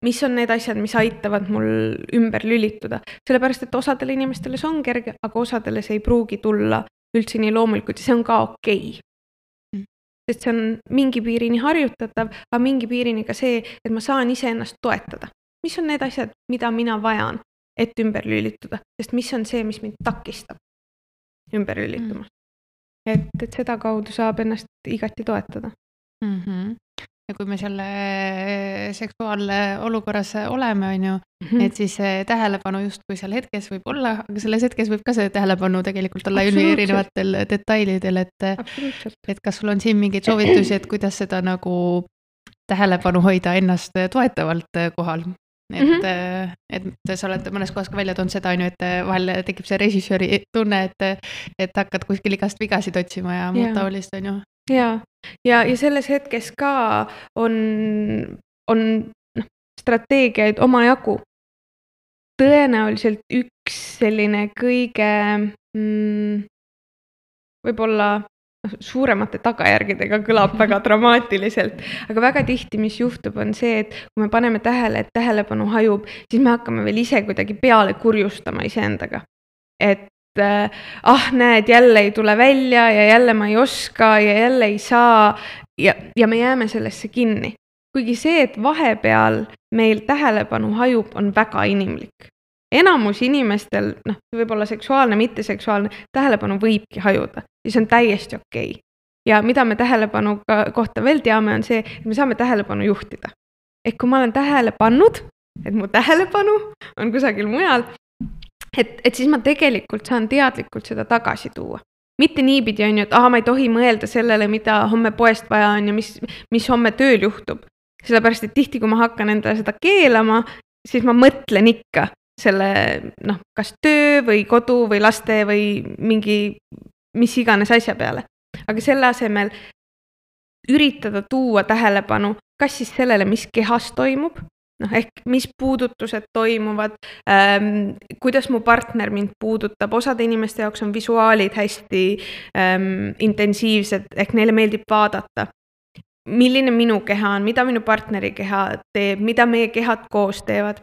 Mis on need asjad, mis aitavad mul ümber lülituda. Sellepärast, et osadele inimestele see on kerge, aga osadele see ei pruugi tulla üldse nii loomulikult ja see on ka okei. Mm. Sest see on mingi piirini harjutatav, aga mingi piirini ka see, et ma saan ise ennast toetada. Mis on need asjad, mida mina vajan, et ümber lülituda? Sest mis on see, mis mind takistab ümber lülituma? Mm. Et, et seda kaudu saab ennast igati toetada. Mm-hmm. Ja kui me selle seksuaalne olukorras oleme, on ju, mm-hmm. et siis tähelepanu just kui seal hetkes võib olla, aga selles hetkes võib ka see tähelepanu tegelikult olla erinevatel detailidel, et, et kas sul on siin mingeid soovitusi, et kuidas seda nagu tähelepanu hoida ennast toetavalt kohal? Et, mm-hmm. et sa oled mõnes kohas ka välja toonud seda, on ju, et vahel tekib see režissööri tunne, et, et hakkad kuskil igast vigasid otsima ja muud taolist, on ju. Ja, ja, ja selles hetkes ka on, on noh, strateegiaid oma jagu. Tõenäoliselt üks selline kõige mm, võib-olla suuremate tagajärgedega kõlab väga dramaatiliselt, aga väga tihti, mis juhtub, on see, et kui me paneme tähele, et tähelepanu hajub, siis me hakkame veel ise kuidagi peale kurjustama iseendaga. Et ah, näed, jälle ei tule välja ja jälle ma ei oska ja jälle ei saa ja, ja me jääme sellesse kinni. Kuigi see, et vahepeal meil tähelepanu hajub, on väga inimlik. Enamus inimestel, noh, võib-olla seksuaalne, mitteseksuaalne, tähelepanu võibki hajuda ja see on täiesti okei. Ja mida me tähelepanu kohta veel teame, on see, et me saame tähelepanu juhtida. Ehk kui ma olen tähele pannud, et mu tähelepanu on kusagil mujal, et, et siis ma tegelikult saan teadlikult seda tagasi tuua. mitte niipidi on ju, et aha, ma ei tohi mõelda sellele, mida homme poest vaja on ja mis, mis homme tööl juhtub. Sellepärast, et tihti, kui ma hakkan endale seda keelama, siis ma mõtlen ikka selle, noh, kas töö või kodu või laste või mingi, mis iganes asja peale. Aga selle asemel üritada tuua tähelepanu, kas siis sellele, mis kehas toimub, noh, ehk mis puudutused toimuvad, ähm, kuidas mu partner mind puudutab, osade inimeste jaoks on visuaalid hästi ähm, intensiivsed, ehk neile meeldib vaadata. Milline minu keha on, mida minu partneri keha teeb, mida meie kehad koos teevad.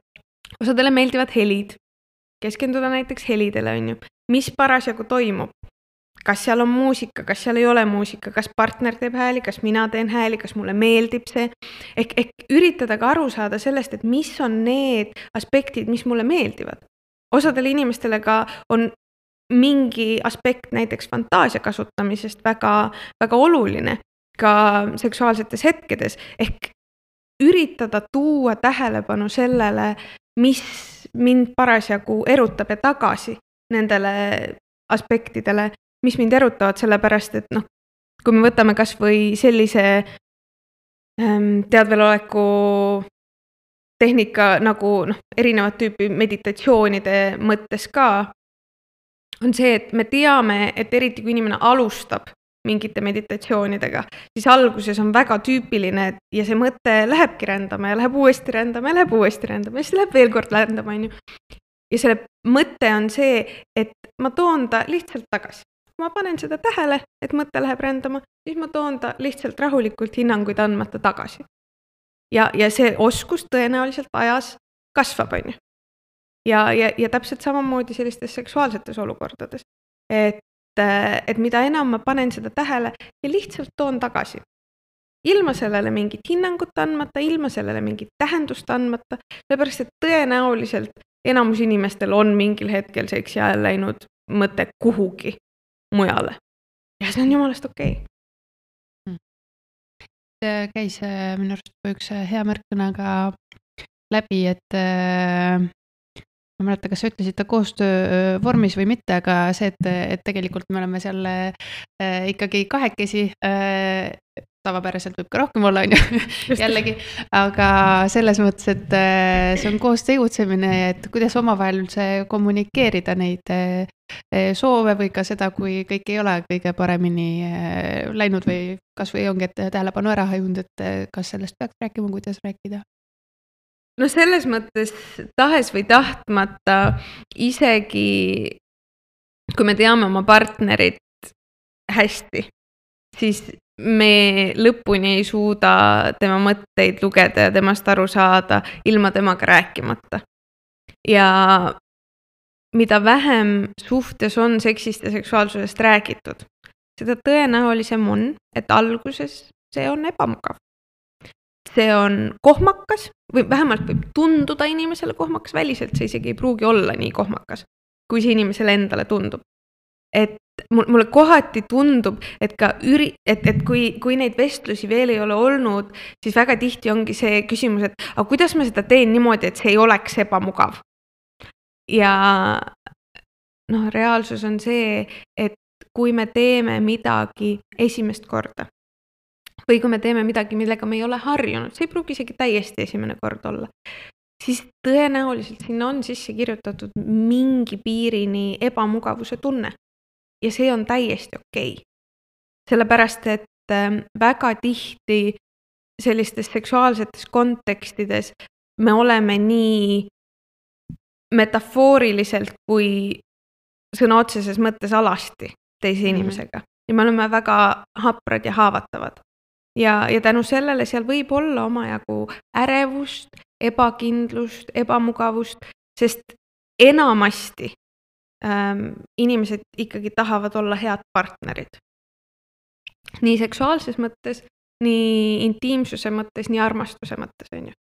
Osadele meeldivad helid, keskenduda näiteks helidele, on ju. Mis parasjagu toimub? Kas seal on muusika, kas seal ei ole muusika, kas partner teeb hääli, kas mina teen hääli, kas mulle meeldib see. Ehk, ehk üritada ka aru saada sellest, et mis on need aspektid, mis mulle meeldivad. Osadele inimestele ka on mingi aspekt näiteks fantaasia kasutamisest väga, väga oluline ka seksuaalsetes hetkedes. Ehk üritada tuua tähelepanu sellele, mis mind parasjagu erutab ja tagasi nendele aspektidele, mis mind erutavad, sellepärast, et noh, kui me võtame kas või sellise ähm, teadveloleku tehnika nagu noh, erinevat tüüpi meditatsioonide mõttes ka, on see, et me teame, et eriti kui inimene alustab mingite meditatsioonidega, siis alguses on väga tüüpiline ja see mõte lähebki rändama ja läheb uuesti rändama ja läheb uuesti rändama ja siis läheb veel kord rändama. Ja selle mõte on see, et ma toon ta lihtsalt tagasi. Ma panen seda tähele, et mõte läheb rändama, siis ma toon ta lihtsalt rahulikult hinnanguid andmata tagasi. Ja, ja see oskus tõenäoliselt ajas kasvab, on ju. Ja, ja, ja täpselt samamoodi sellistes seksuaalsetes olukordades. Et, et mida enam ma panen seda tähele ja lihtsalt toon tagasi. Ilma sellele mingit hinnangut andmata, ilma sellele mingit tähendust andmata, sellepärast, et tõenäoliselt enamus inimestel on mingil hetkel seksi ajal läinud mõte kuhugi mujale. Ja see on jumalast okei. Okay. Käis minu arust üks hea märksõnaga läbi, et ma mäleta, kas sa ütlesid ta koostöö vormis või mitte, aga see, et, et tegelikult me oleme seal ikkagi kahekesi, tavapäraselt võib ka rohkem olla, on ju, jällegi, aga selles mõttes, et see on koos tegutsemine, et kuidas omavahel üldse kommunikeerida neid soove või ka seda, kui kõik ei ole kõige paremini läinud või kas või ongi, et tähelepanu ära hajunud, et kas sellest peaks rääkima, kuidas rääkida? No selles mõttes tahes või tahtmata isegi, kui me teame oma partnerit hästi, siis me lõpuni ei suuda tema mõtteid lugeda ja temast aru saada ilma temaga rääkimata. Ja mida vähem suhtes on seksist ja seksuaalsusest räägitud, seda tõenäolisem on, et alguses see on ebamugav. See on kohmakas või vähemalt võib tunduda inimesele kohmakas, väliselt see isegi ei pruugi olla nii kohmakas, kui see inimesele endale tundub. Et mulle kohati tundub, et, ka üri, et, et kui, kui neid vestlusi veel ei ole olnud, siis väga tihti ongi see küsimus, et aga kuidas ma seda teen niimoodi, et see ei oleks ebamugav. Ja noh, reaalsus on see, et kui me teeme midagi esimest korda, või kui me teeme midagi, millega me ei ole harjunud, see ei pruugi isegi täiesti esimene kord olla, siis tõenäoliselt sinna on sisse kirjutatud mingi piirini ebamugavuse tunne. Ja see on täiesti okei. Sellepärast, et väga tihti sellistes seksuaalsetes kontekstides me oleme nii metafooriliselt kui sõna otseses mõttes alasti teise inimesega. Ja me oleme väga haprad ja haavatavad. Ja, ja tänu sellele seal võib olla omajagu ärevust, ebakindlust, ebamugavust, sest enamasti ähm, inimesed ikkagi tahavad olla head partnerid. Nii seksuaalses mõttes, nii intiimsuse mõttes, nii armastuse mõttes. On ju.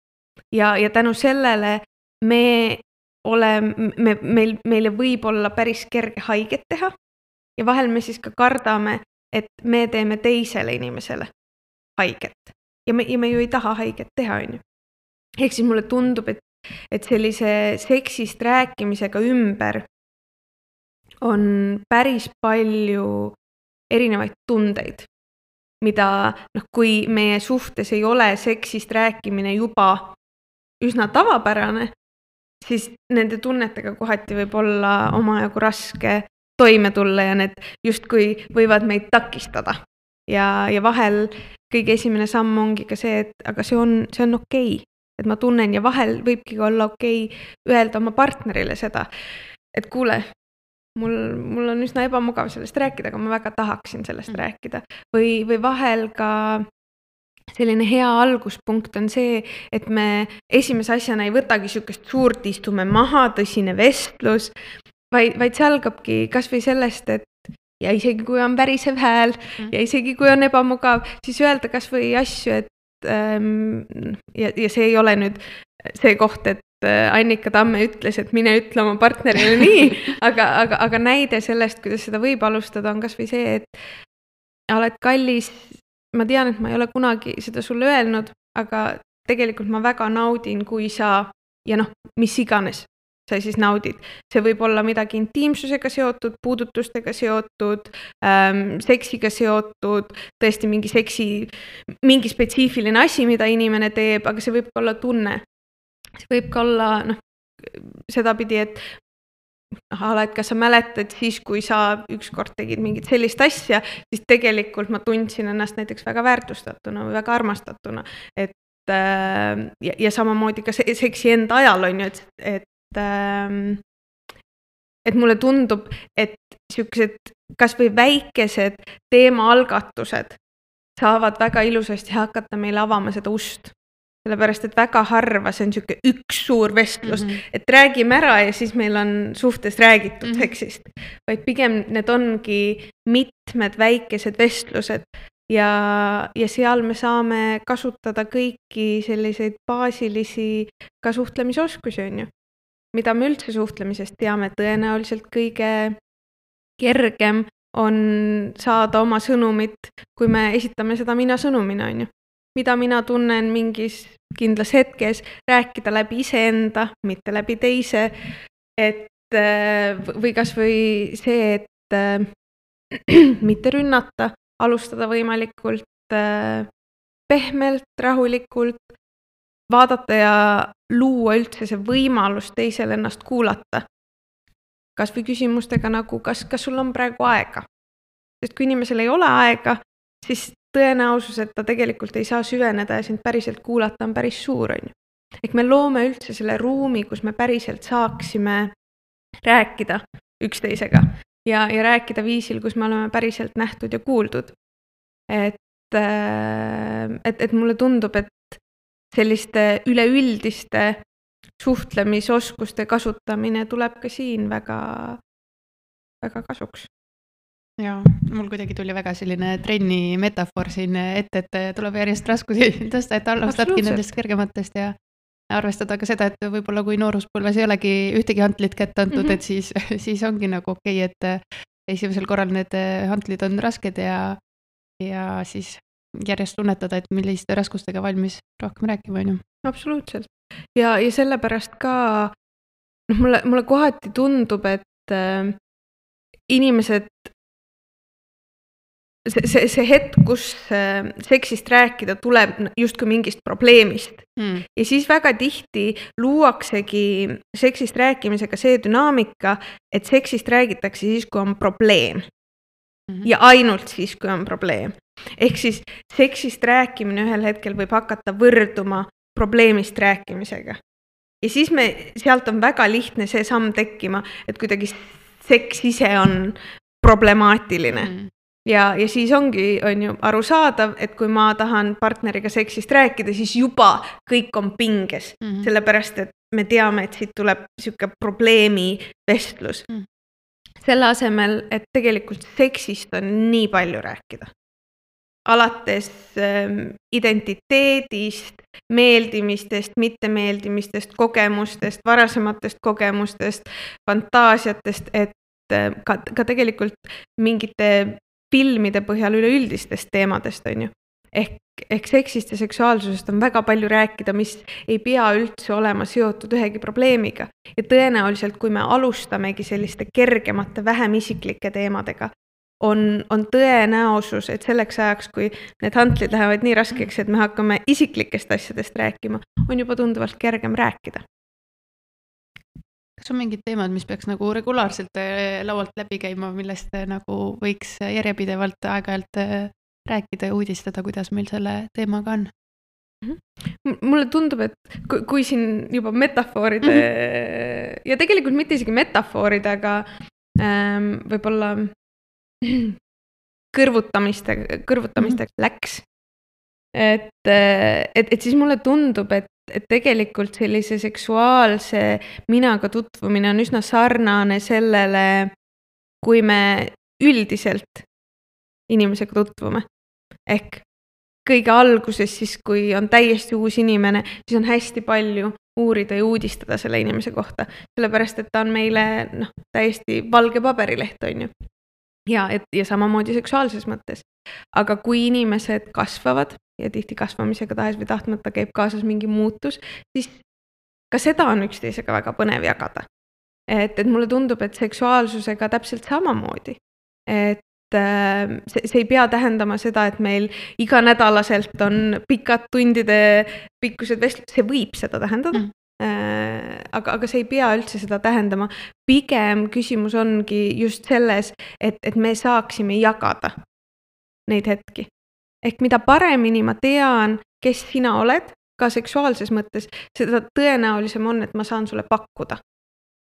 Ja, ja tänu sellele me oleme, me, meil, meile võib olla päris kerge haiget teha ja vahel me siis ka kardame, et me teeme teisele inimesele haiget. Ja me, ja me ju ei taha haiget teha, on ju. Ehk siis mulle tundub, et, et sellise seksist rääkimisega ümber on päris palju erinevaid tundeid, mida noh, kui meie suhtes ei ole seksist rääkimine juba üsna tavapärane, siis nende tunnetega kohati võib olla omajagu raske toime tulla ja need justkui võivad meid takistada. Ja, ja vahel kõige esimene samm ongi ka see, et aga see on, see on okei, et ma tunnen ja vahel võibki olla okei öelda oma partnerile seda, et kuule, mul, mul on üsna ebamugav sellest rääkida, aga ma väga tahaksin sellest mm. rääkida. Või, või vahel ka selline hea alguspunkt on see, et me esimese asjana ei võtagi sükest suurt, istume maha, tõsine vestlus, vaid, vaid see algabki kas või sellest, et ja isegi kui on värisev hääl mm. ja isegi kui on ebamugav, siis öelda kas või asju, et ähm, ja, ja see ei ole nüüd see koht, et Annika Tamme ütles, et mine ütle oma partnerile nii, aga, aga, aga näide sellest, kuidas seda võib alustada, on kas või see, et oled kallis, ma tean, et ma ei ole kunagi seda sulle öelnud, aga tegelikult ma väga naudin, kui sa, ja noh, mis iganes sa siis naudid. See võib olla midagi intiimsusega seotud, puudutustega seotud, ähm, seksiga seotud, tõesti mingi seksi, mingi spetsiifiline asi, mida inimene teeb, aga see võib olla tunne. See võib ka olla, noh, sedapidi, et ala, et kas sa mäletad siis, kui sa ükskord tegid mingit sellist asja, siis tegelikult ma tundsin ennast näiteks väga väärtustatuna või väga armastatuna. Et, äh, ja, ja samamoodi ka seksi enda ajal on ju, et, et et mulle tundub, et siuksed kas või väikesed teemaalgatused saavad väga ilusasti hakata meile avama seda ust. Sellepärast, et väga harva see on siuke üks suur vestlus, mm-hmm. et räägime ära ja siis meil on suhtes räägitud mm-hmm. seksist. Vaid pigem need ongi mitmed väikesed vestlused ja, ja seal me saame kasutada kõiki selliseid baasilisi ka suhtlemisoskusi, on ju. Mida me üldse suhtlemisest teame, tõenäoliselt kõige kergem on saada oma sõnumit, kui me esitame seda mina sõnumina, on ju. Mida mina tunnen mingis kindlas hetkes, rääkida läbi iseenda, mitte läbi teise, et või kas või see, et mitte rünnata, alustada võimalikult pehmelt, rahulikult, vaadata ja luua üldse see võimalus teisel ennast kuulata. Kas või küsimustega nagu, kas, kas sul on praegu aega? Sest kui inimesel ei ole aega, siis tõenäosus, et ta tegelikult ei saa süveneda ja sind päriselt kuulata on päris suur, on ju. Ehk me loome üldse selle ruumi, kus me päriselt saaksime rääkida üksteisega ja, ja rääkida viisil, kus me oleme päriselt nähtud ja kuuldud. Et, et, et mulle tundub, et selliste üleüldiste suhtlemisoskuste kasutamine tuleb ka siin väga, väga kasuks. Ja, mul kuidagi tuli väga selline trenni metafoor siin ette, et tuleb järjest raskusi tõsta, et alustadki nendest kergematest ja arvestada ka seda, et võib-olla kui nooruspõlves ei olegi ühtegi hantlit kätte antud, mm-hmm. et siis, siis ongi nagu okei, et esimesel korral need hantlid on rasked ja, ja siis järjest tunnetada, et milliste raskustega valmis rohkem rääkima, on ju. Absoluutselt. Ja, ja sellepärast ka noh, mulle, mulle kohati tundub, et äh, inimesed see, see, see hetk, kus äh, seksist rääkida tuleb justkui mingist probleemist. Hmm. Ja siis väga tihti luuaksegi seksist rääkimisega see dünaamika, et seksist räägitakse siis, kui on probleem. Mm-hmm. Ja ainult siis, kui on probleem. Ehk siis seksist rääkimine ühel hetkel võib hakata võrduma probleemist rääkimisega. Ja siis me, sealt on väga lihtne see samm tekkima, et kuidagi seks ise on problemaatiline. Mm. Ja, ja siis ongi on ju arusaadav, et kui ma tahan partneriga seksist rääkida, siis juba kõik on pinges. Mm-hmm. Sellepärast, et me teame, et siit tuleb siuke probleemi vestlus. Mm. Selle asemel, et tegelikult seksist on nii palju rääkida. Alates ähm, identiteedist, meeldimistest, mittemeeldimistest, kogemustest, varasematest kogemustest, fantaasiatest, et äh, ka, ka tegelikult mingite filmide põhjal üleüldistest teemadest on ju. Ehk, ehk seksist ja seksuaalsusest on väga palju rääkida, mis ei pea üldse olema seotud ühegi probleemiga. Ja tõenäoliselt, kui me alustamegi selliste kergemate, vähem isiklike teemadega, on, on tõenäosus, et selleks ajaks, kui need hantlid lähevad nii raskeks, et me hakkame isiklikest asjadest rääkima, on juba tunduvalt kergem rääkida. Kas on mingid teemad, mis peaks nagu regulaarselt laualt läbi käima, millest nagu võiks järjepidevalt aeg-ajalt rääkida ja uudistada, kuidas meil selle teemaga on? Mulle tundub, et kui, kui siin juba metafooride mm-hmm. ja tegelikult mitte isegi metafooride, aga ähm, võib-olla kõrvutamiste, kõrvutamiste mm-hmm. läks. Et, et, et siis mulle tundub, et, et tegelikult sellise seksuaalse minaga tutvumine on üsna sarnane sellele, kui me üldiselt inimesega tutvume. Ehk kõige alguses siis, kui on täiesti uus inimene, siis on hästi palju uurida ja uudistada selle inimese kohta. Sellepärast, et ta on meile noh, täiesti valge paberileht, on ju. Ja, et, ja samamoodi seksuaalses mõttes. Aga kui inimesed kasvavad ja tihti kasvamisega tahes või tahtmata käib kaasas mingi muutus, siis ka seda on üksteisega väga põnev jagada. Et, et mulle tundub, et seksuaalsusega täpselt samamoodi. Et See, see ei pea tähendama seda, et meil iganädalaselt on pikad tundide pikkused vestlud, see võib seda tähendada, mm. aga, aga see ei pea üldse seda tähendama. Pigem küsimus ongi just selles, et, et me saaksime jagada neid hetki. Ehk mida paremini ma tean, kes sina oled, ka seksuaalses mõttes, seda tõenäolisem on, et ma saan sulle pakkuda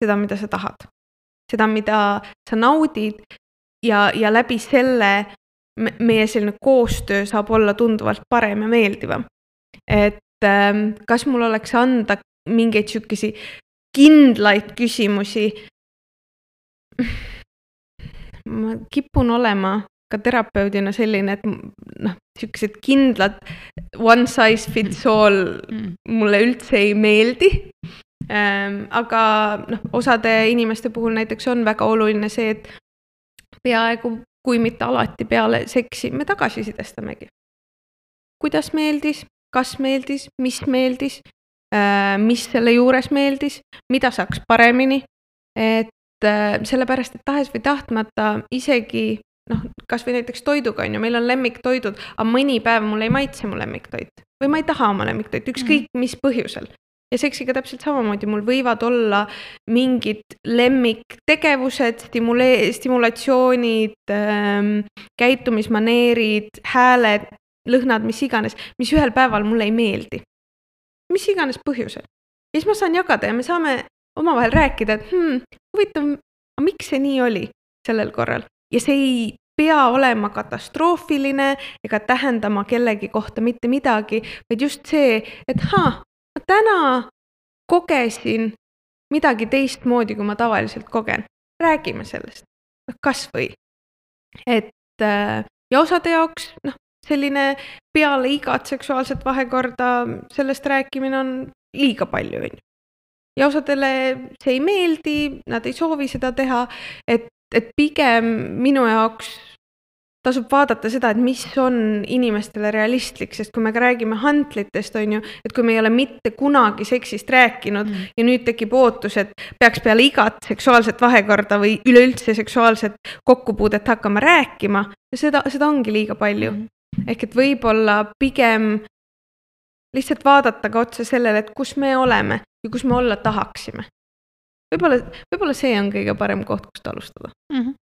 seda, mida sa tahad. Seda, mida sa naudid. Ja, ja läbi selle meie selline koostöö saab olla tunduvalt parem ja meeldivam. Et ähm, kas mul oleks anda mingeid sükesi kindlaid küsimusi? Ma kipun olema ka terapeudina selline, et noh, sükesed kindlad one size fits all mulle üldse ei meeldi. Ähm, aga noh, osade inimeste puhul näiteks on väga oluline see, et peaaegu, kui mitte alati peale seksi, me tagasisidestamegi. Kuidas meeldis, kas meeldis, mis meeldis, mis selle juures meeldis, mida saaks paremini, et sellepärast, et tahes või tahtmata isegi, noh, kas või näiteks toiduga on ju, meil on lemmiktoidud, aga mõni päev mul ei maitse mu lemmiktoit või ma ei taha oma lemmiktoit, ükskõik mis põhjusel. Ja seksiga täpselt samamoodi, mul võivad olla mingid lemmiktegevused, stimule- stimulatsioonid, ähm, käitumismaneerid, hääled, lõhnad, mis iganes, mis ühel päeval mulle ei meeldi. Mis iganes põhjusel. Ja siis ma saan jagada ja me saame omavahel rääkida, et hmm, huvitav, miks see nii oli sellel korral. Ja see ei pea olema katastroofiline ega tähendama kellegi kohta mitte midagi, vaid just see, et haa, ma täna kogesin midagi teistmoodi, kui ma tavaliselt kogen. Räägime sellest. Kas või. Et, ja osade jaoks noh, selline peale igat seksuaalset vahekorda sellest rääkimine on liiga palju. Ja osadele see ei meeldi, nad ei soovi seda teha, et, et pigem minu jaoks tasub vaadata seda, et mis on inimestele realistlik, sest kui me räägime hantlitest, on ju, et kui me ei ole mitte kunagi seksist rääkinud mm. ja nüüd tekib ootus, et peaks peale igat seksuaalset vahekorda või üleüldse seksuaalset kokkupuudet hakkama rääkima, seda, seda ongi liiga palju. Mm. Ehk et võib-olla pigem lihtsalt vaadata ka otsa sellele, et kus me oleme ja kus me olla tahaksime. Võib-olla, võib-olla see on kõige parem koht, kust alustada. Mm-hmm.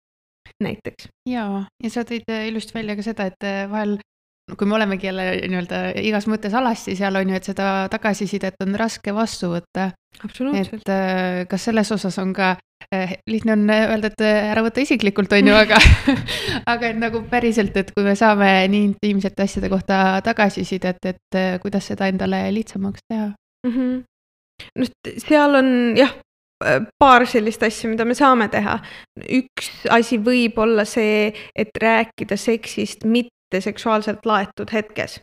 Näiteks. Jaa, ja sa tõid ilust välja ka seda, et vahel, kui me olemegi jälle nii-öelda igas mõttes alasti seal on ju, et seda tagasisidet on raske vastu võtta. Absoluutselt. Et kas selles osas on ka, lihtne on öelda, et ära võtta isiklikult on ju, aga, aga et nagu päriselt, et kui me saame nii intiimsete asjade kohta tagasisidet, et kuidas seda endale lihtsamaks teha? Mm-hmm. No, seal on jah, paar sellist asja, mida me saame teha. Üks asi võib olla see, et rääkida seksist mitte seksuaalselt laetud hetkes.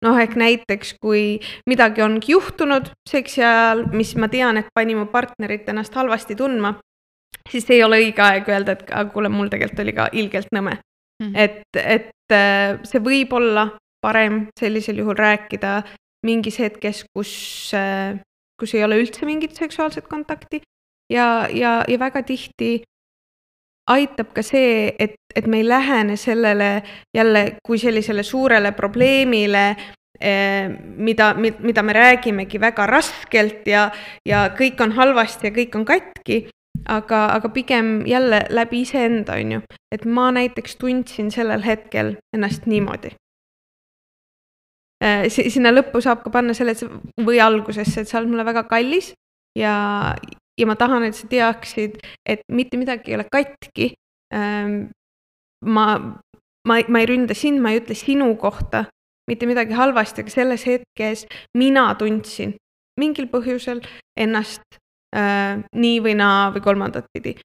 Noh, ehk näiteks, kui midagi ongi juhtunud seksi ajal, mis ma tean, et pani mu partnerit ennast halvasti tundma, siis ei ole õige aeg öelda, et kuule, mul tegelikult oli ka ilgelt nõme. Mm. Et, et see võib olla parem sellisel juhul rääkida mingis hetkes, kus, kus ei ole üldse mingit seksuaalset kontakti. Ja, ja, ja väga tihti aitab ka see, et, et me ei lähene sellele jälle kui sellisele suurele probleemile, mida, mida me räägimegi väga raskelt ja, ja kõik on halvasti ja kõik on katki, aga, aga pigem jälle läbi iseenda, on ju. Et ma näiteks tundsin sellel hetkel ennast niimoodi. Sinna lõppu saab ka panna selle või algusesse, et sa oled mulle väga kallis ja, ja ma tahan, et sa teaksid, et mitte midagi ei ole katki. Ma, ma, ma ei ründa sind, ma ei ütle sinu kohta mitte midagi halvasti, aga selles hetkes mina tundsin mingil põhjusel ennast äh, nii või naa või kolmandat pidi.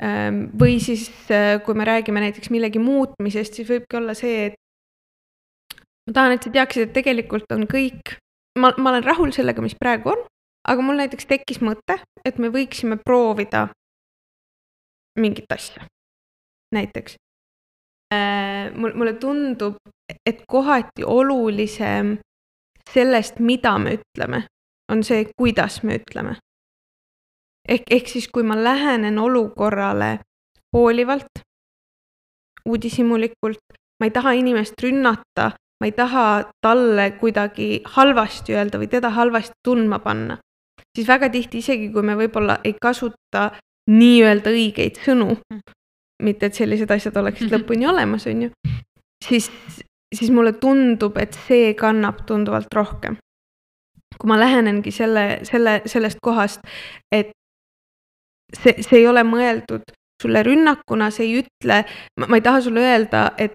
Äh, või siis, äh, kui me räägime näiteks millegi muutmisest, siis võibki olla see, et ma tahan, et sa teaksid, et tegelikult on kõik, ma, ma olen rahul sellega, mis praegu on, aga mul näiteks tekkis mõte, et me võiksime proovida mingit asja. Näiteks. Äh, mulle tundub, et kohati olulisem sellest, mida me ütleme, on see, kuidas me ütleme. Ehk, ehk siis, kui ma lähenen olukorrale hoolivalt, uudishimulikult, ma ei taha inimest rünnata, ma ei taha talle kuidagi halvasti öelda või teda halvasti tundma panna, siis väga tihti isegi, kui me võib-olla ei kasuta nii öelda õigeid sõnu, mitte et sellised asjad oleksid mm-hmm. lõpuni olemas, on ju, siis, siis mulle tundub, et see kannab tunduvalt rohkem. Kui ma lähenengi selle, selle, sellest kohast, et see, see ei ole mõeldud sulle rünnakuna, see ei ütle, ma, ma ei taha sulle öelda, et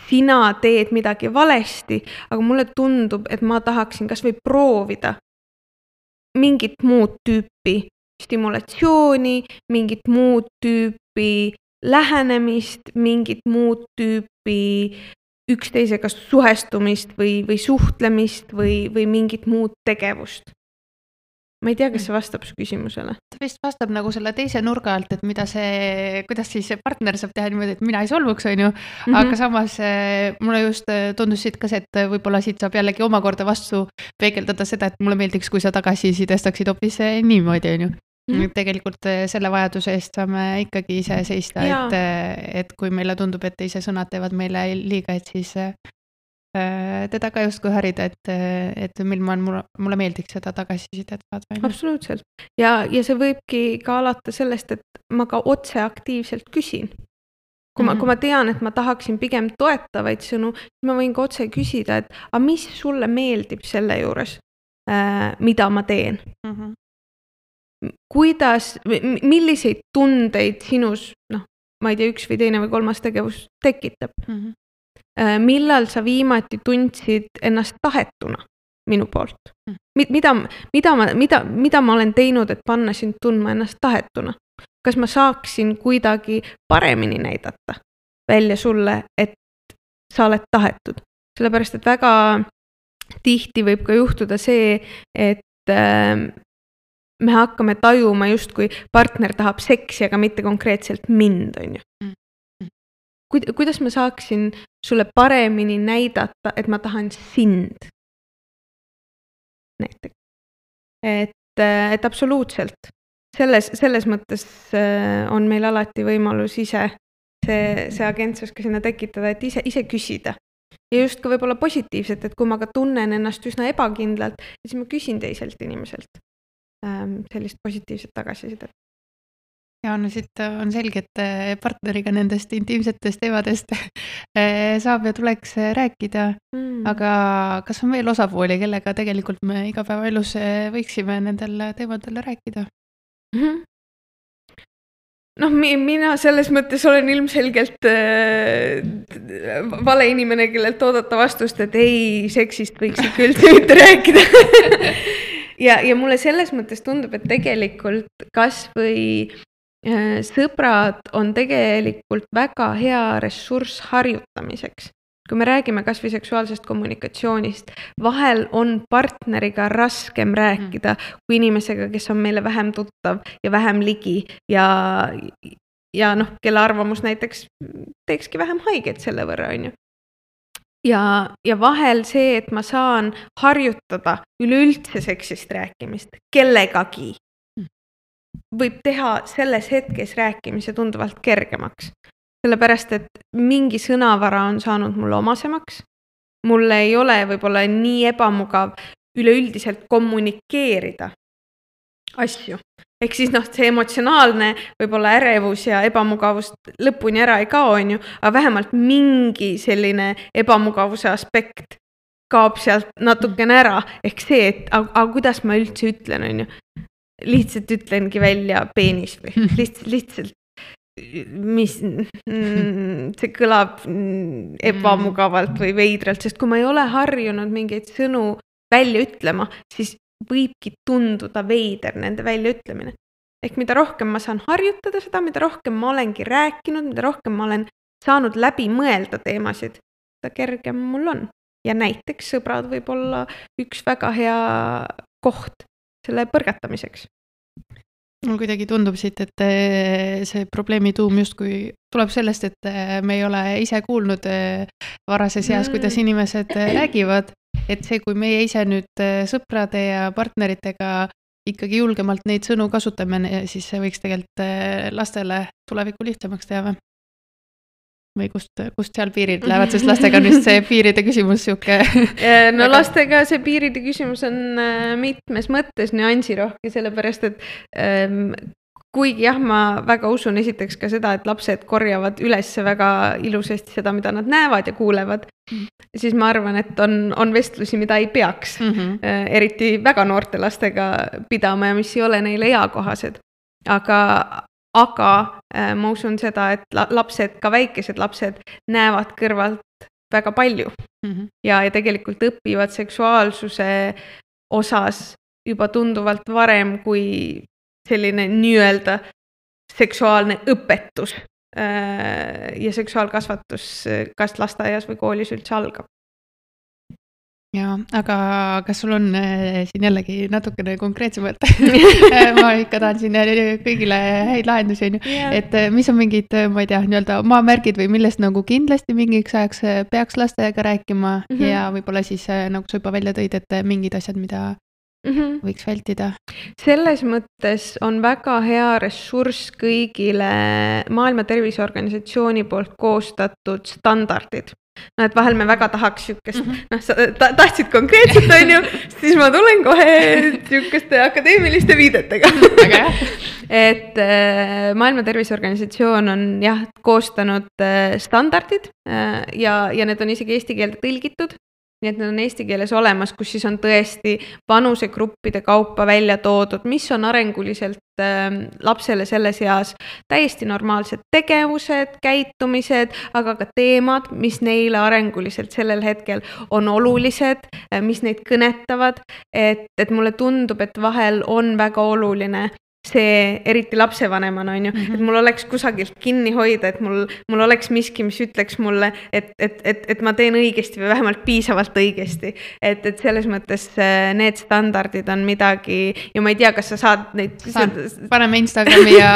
sina teed midagi valesti, aga mulle tundub, et ma tahaksin kas või proovida mingit muud tüüpi stimulatsiooni, mingit muud tüüpi lähenemist, mingit muud tüüpi üksteisega suhestumist või, või suhtlemist või, või mingit muud tegevust. Ma ei tea, kas see vastab su küsimusele. Ta vist vastab nagu selle teise nurga alt, et mida see, kuidas siis see partner saab teha niimoodi, et mina ei solvuks, on ju. Mm-hmm. Aga samas mulle just tundus siit ka see, et võib-olla siit saab jällegi omakorda vastu peegeldada seda, et mulle meeldiks, kui sa tagasi sidestaksid hoopis niimoodi, on ju. Mm-hmm. Tegelikult selle vajaduse eest saame ikkagi ise seista, et, et kui meile tundub, et teise sõnad teevad meile liiga, et siis teda ka justkui harida, et, et mil ma mulle, mulle meeldiks seda tagasisidet saada. Absoluutselt. Ja, ja see võibki ka alata sellest, et ma ka otse aktiivselt küsin. Kui ma, mm-hmm. kui ma tean, et ma tahaksin pigem toetavaid sõnu, siis ma võin ka otse küsida, et a mis sulle meeldib selle juures, äh, mida ma teen? Mm-hmm. Kuidas, milliseid tundeid sinus, noh, ma ei tea, üks või teine või kolmas tegevus tekitab? Mm-hmm. Millal sa viimati tundsid ennast tahetuna minu poolt? Mida, mida, ma, mida, mida ma olen teinud, et panna sind tundma ennast tahetuna? Kas ma saaksin kuidagi paremini näidata välja sulle, et sa oled tahetud? Sellepärast, et väga tihti võib ka juhtuda see, et äh, me hakkame tajuma just kui partner tahab seksi, aga mitte konkreetselt mind, on ju. Mm. Kuidas ma saaksin sulle paremini näidata, et ma tahan sind? Näiteks. Et, et absoluutselt. Selles, selles mõttes on meil alati võimalus ise see, see agentsus ka sinna tekitada, et ise, ise küsida. Ja just ka võib-olla positiivselt, et kui ma ka tunnen ennast üsna ebakindlalt, siis ma küsin teiselt inimeselt sellist positiivset tagasisidet. Ja no siit on selge, et partneriga nendest intiimsetest teemadest saab ja tuleks rääkida, mm. aga kas on veel osapooli, kellega tegelikult me igapäevaelus võiksime nendel teemadel rääkida? Mm-hmm. Noh, mina selles mõttes olen ilmselgelt äh, vale inimene, kellelt oodata vastust, et ei, seksist võiks ikka üldse mitte rääkida. ja, ja mulle selles mõttes tundub, et tegelikult kas või sõbrad on tegelikult väga hea ressurss harjutamiseks. Kui me räägime kas või seksuaalsest kommunikatsioonist, vahel on partneriga raskem rääkida kui inimesega, kes on meile vähem tuttav ja vähem ligi ja, ja noh, kelle arvamus näiteks teekski vähem haiget selle võrra, on ju. Ja, ja vahel see, et ma saan harjutada üleüldse seksist rääkimist kellegagi. võib teha selles hetkes rääkimise tunduvalt kergemaks. Sellepärast, et mingi sõnavara on saanud mulle omasemaks. Mulle ei ole võib-olla nii ebamugav üleüldiselt kommunikeerida asju. Ehk siis noh, see emotsionaalne võib-olla ärevus ja ebamugavust lõpuni ära ei kao, on ju, aga vähemalt mingi selline ebamugavuse aspekt kaob sealt natukene ära. Ehk see, et aga, aga kuidas ma üldse ütlen, on ju. Lihtsalt ütlengi välja peenis või lihtsalt, lihtsalt mis mm, see kõlab ebamugavalt või veidralt, sest kui ma ei ole harjunud mingeid sõnu välja ütlema, siis võibki tunduda veider nende välja ütlemine. Ehk mida rohkem ma saan harjutada seda, mida rohkem ma olengi rääkinud, mida rohkem ma olen saanud läbi mõelda teemasid, seda kergem mul on. Ja näiteks sõbrad võib olla üks väga hea koht selle põrgatamiseks. Mul kuidagi tundub siit, et see probleemi tuum justkui tuleb sellest, et me ei ole ise kuulnud varases eas, kuidas inimesed räägivad. Et see, kui meie ise nüüd sõprade ja partneritega ikkagi julgemalt neid sõnu kasutame, siis see võiks tegelikult lastele tulevikku lihtsamaks teha. Või kust, kust seal piirid lähevad, sest lastega on just see piiride küsimus siuke. No lastega see piiride küsimus on mitmes mõttes nüansirohke, sellepärast, et ähm, kuigi jah, ma väga usun esiteks ka seda, et lapsed korjavad üles väga ilusasti seda, mida nad näevad ja kuulevad, mm. siis ma arvan, et on, on vestlusi, mida ei peaks mm-hmm. äh, eriti väga noorte lastega pidama ja mis ei ole neile eakohased. Aga Aga äh, ma usun seda, et lapsed, ka väikesed lapsed näevad kõrvalt väga palju mm-hmm. ja, ja tegelikult õpivad seksuaalsuse osas juba tunduvalt varem kui selline nii-öelda seksuaalne õpetus äh, ja seksuaalkasvatus kas lasteaias või koolis üldse algab. Ja, aga kas sul on äh, siin jällegi natukene konkreetsemalt? Ma ikka tahan siin kõigile häid lahendusi, yeah. et äh, mis on mingid, ma ei tea, nii-öelda maamärgid või millest nagu kindlasti mingiks ajaks peaks lastega rääkima mm-hmm. ja võib-olla siis äh, nagu sa juba välja tõid, et mingid asjad, mida mm-hmm. võiks vältida? Selles mõttes on väga hea ressurss kõigile Maailma Terviseorganisatsiooni poolt koostatud standardid. No, et vahel me väga tahaks siukest, mm-hmm. noh, sa ta, tahtsid konkreetselt, on ju, siis ma tulen kohe siukeste akadeemiliste viidetega. et äh, Maailma Terviseorganisatsioon on jah, koostanud äh, standardid äh, ja, ja need on isegi eesti keelde tõlgitud. Nii et need on eesti keeles olemas, kus siis on tõesti vanusegruppide kaupa välja toodud, mis on arenguliselt äh, lapsele selles eas täiesti normaalsed tegevused, käitumised, aga ka teemad, mis neile arenguliselt sellel hetkel on olulised, äh, mis neid kõnetavad, et, et mulle tundub, et vahel on väga oluline see eriti lapsevanemana on ju, mm-hmm. et mul oleks kusagilt kinni hoida, et mul, mul oleks miski, mis ütleks mulle, et, et, et, et ma teen õigesti või vähemalt piisavalt õigesti. Et, et selles mõttes need standardid on midagi ja ma ei tea, kas sa saad neid... Saan, paneme Instagrami ja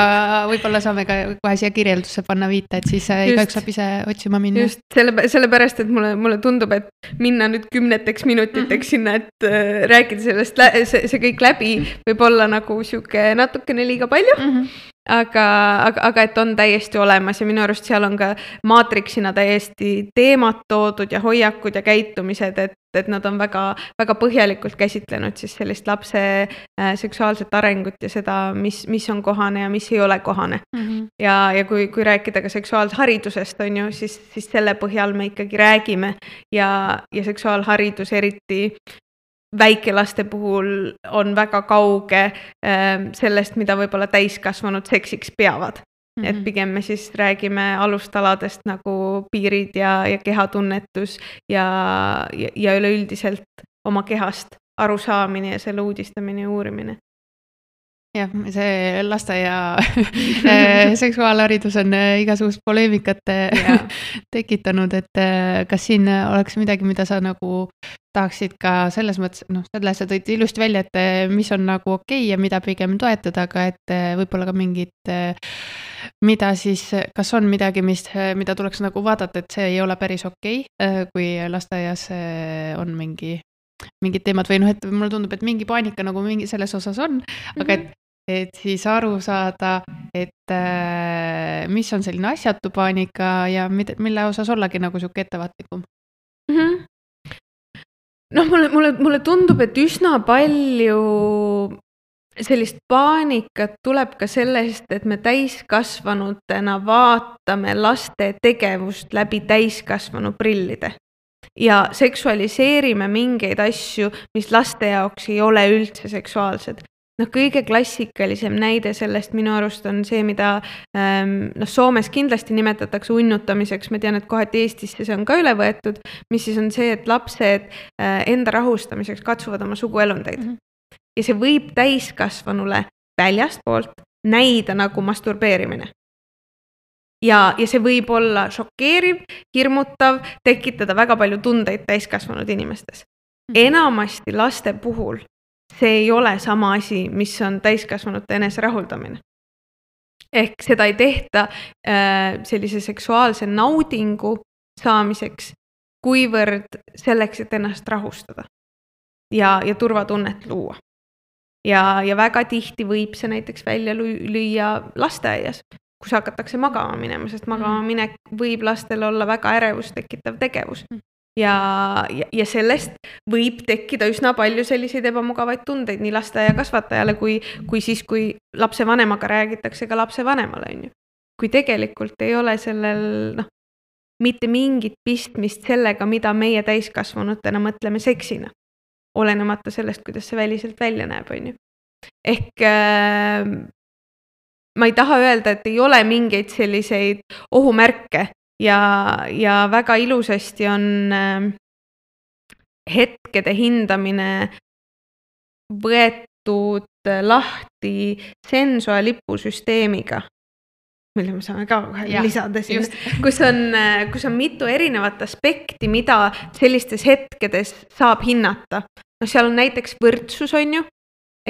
võib-olla saame ka kohe siia kirjeldusse panna viita, et siis igaüks saab ise otsima minna. Just, selle, sellepärast, et mulle, mulle tundub, et minna nüüd kümneteks minutiteks mm-hmm. sinna, et äh, rääkida sellest, see, see kõik läbi võib olla nagu siuke natuke liiga palju, mm-hmm. aga, aga, aga et on täiesti olemas ja minu arust seal on ka maatriksina täiesti teemad toodud ja hoiakud ja käitumised, et, et nad on väga, väga põhjalikult käsitlenud siis sellist lapse äh, seksuaalset arengut ja seda, mis, mis on kohane ja mis ei ole kohane. Mm-hmm. Ja, ja kui, kui rääkida ka seksuaalharidusest, on ju, siis, siis selle põhjal me ikkagi räägime ja, ja seksuaalharidus eriti väikelaste puhul on väga kauge äh, sellest, mida võib-olla täiskasvanud seksiks peavad. Mm-hmm. Et pigem me siis räägime alustaladest nagu piirid ja, ja kehatunnetus ja, ja, ja üleüldiselt oma kehast arusaamine ja selle uudistamine ja uurimine. Jah, see lasteaia seksuaalharidus on igasugust poleemikat yeah. tekitanud, et kas siin oleks midagi, mida sa nagu tahaksid ka selles mõttes, noh, selles sa tõid ilusti välja, et mis on nagu okei ja mida pigem toetada, aga et võib-olla ka mingid, mida siis, kas on midagi, mis, mida tuleks nagu vaadata, et see ei ole päris okei, kui lasteaias on mingi mingid teemad või noh, et mulle tundub, et mingi paanika nagu mingi selles osas on, aga et et siis aru saada, et mis on selline asjatu paanika ja mille osas ollagi nagu siuke ettevaatlikum. Mm-hmm. noh, mulle, mulle, mulle tundub, et üsna palju sellist paanikat tuleb ka sellest, et me täiskasvanutena vaatame laste tegevust läbi täiskasvanu prillide ja seksualiseerime mingeid asju, mis laste jaoks ei ole üldse seksuaalsed. noh, kõige klassikalisem näide sellest minu arust on see, mida ähm, noh, Soomes kindlasti nimetatakse unnutamiseks, ma tean, et kohati Eestisse see on ka üle võetud, mis siis on see, et lapsed äh, enda rahustamiseks katsuvad oma suguelundeid. Mm-hmm. Ja see võib täiskasvanule väljastpoolt näida nagu masturbeerimine. Ja, ja see võib olla šokeeriv, hirmutav, tekitada väga palju tundeid täiskasvanud inimestes. Enamasti laste puhul see ei ole sama asi, mis on täiskasvanute enese rahuldamine. Ehk seda ei tehta äh, sellise seksuaalse naudingu saamiseks, kuivõrd selleks, et ennast rahustada ja, ja turvatunnet luua. Ja, ja väga tihti võib see näiteks välja lüüa lasteaias, kus hakatakse magama minema, sest magama minek võib lastel olla väga ärevust tekitav tegevus. Ja, ja, ja sellest võib tekkida üsna palju selliseid ebamugavaid tundeid nii lasteaia kasvatajale, kui, kui siis, kui lapse vanemaga räägitakse ka lapse vanemale. On ju. Kui tegelikult ei ole sellel noh, mitte mingit pistmist sellega, mida meie täiskasvanutena mõtleme seksina. Olenemata sellest, kuidas see väliselt välja näeb, on ju. Ehk äh, ma ei taha öelda, et ei ole mingeid selliseid ohumärke ja, ja väga ilusasti on äh, hetkede hindamine võetud lahti Sensua lipusüsteemiga, mille me saame ka kohe lisada siin, kus on, kus on mitu erinevat aspekti, mida sellistes hetkedes saab hinnata. No seal on näiteks võrdsus, on ju,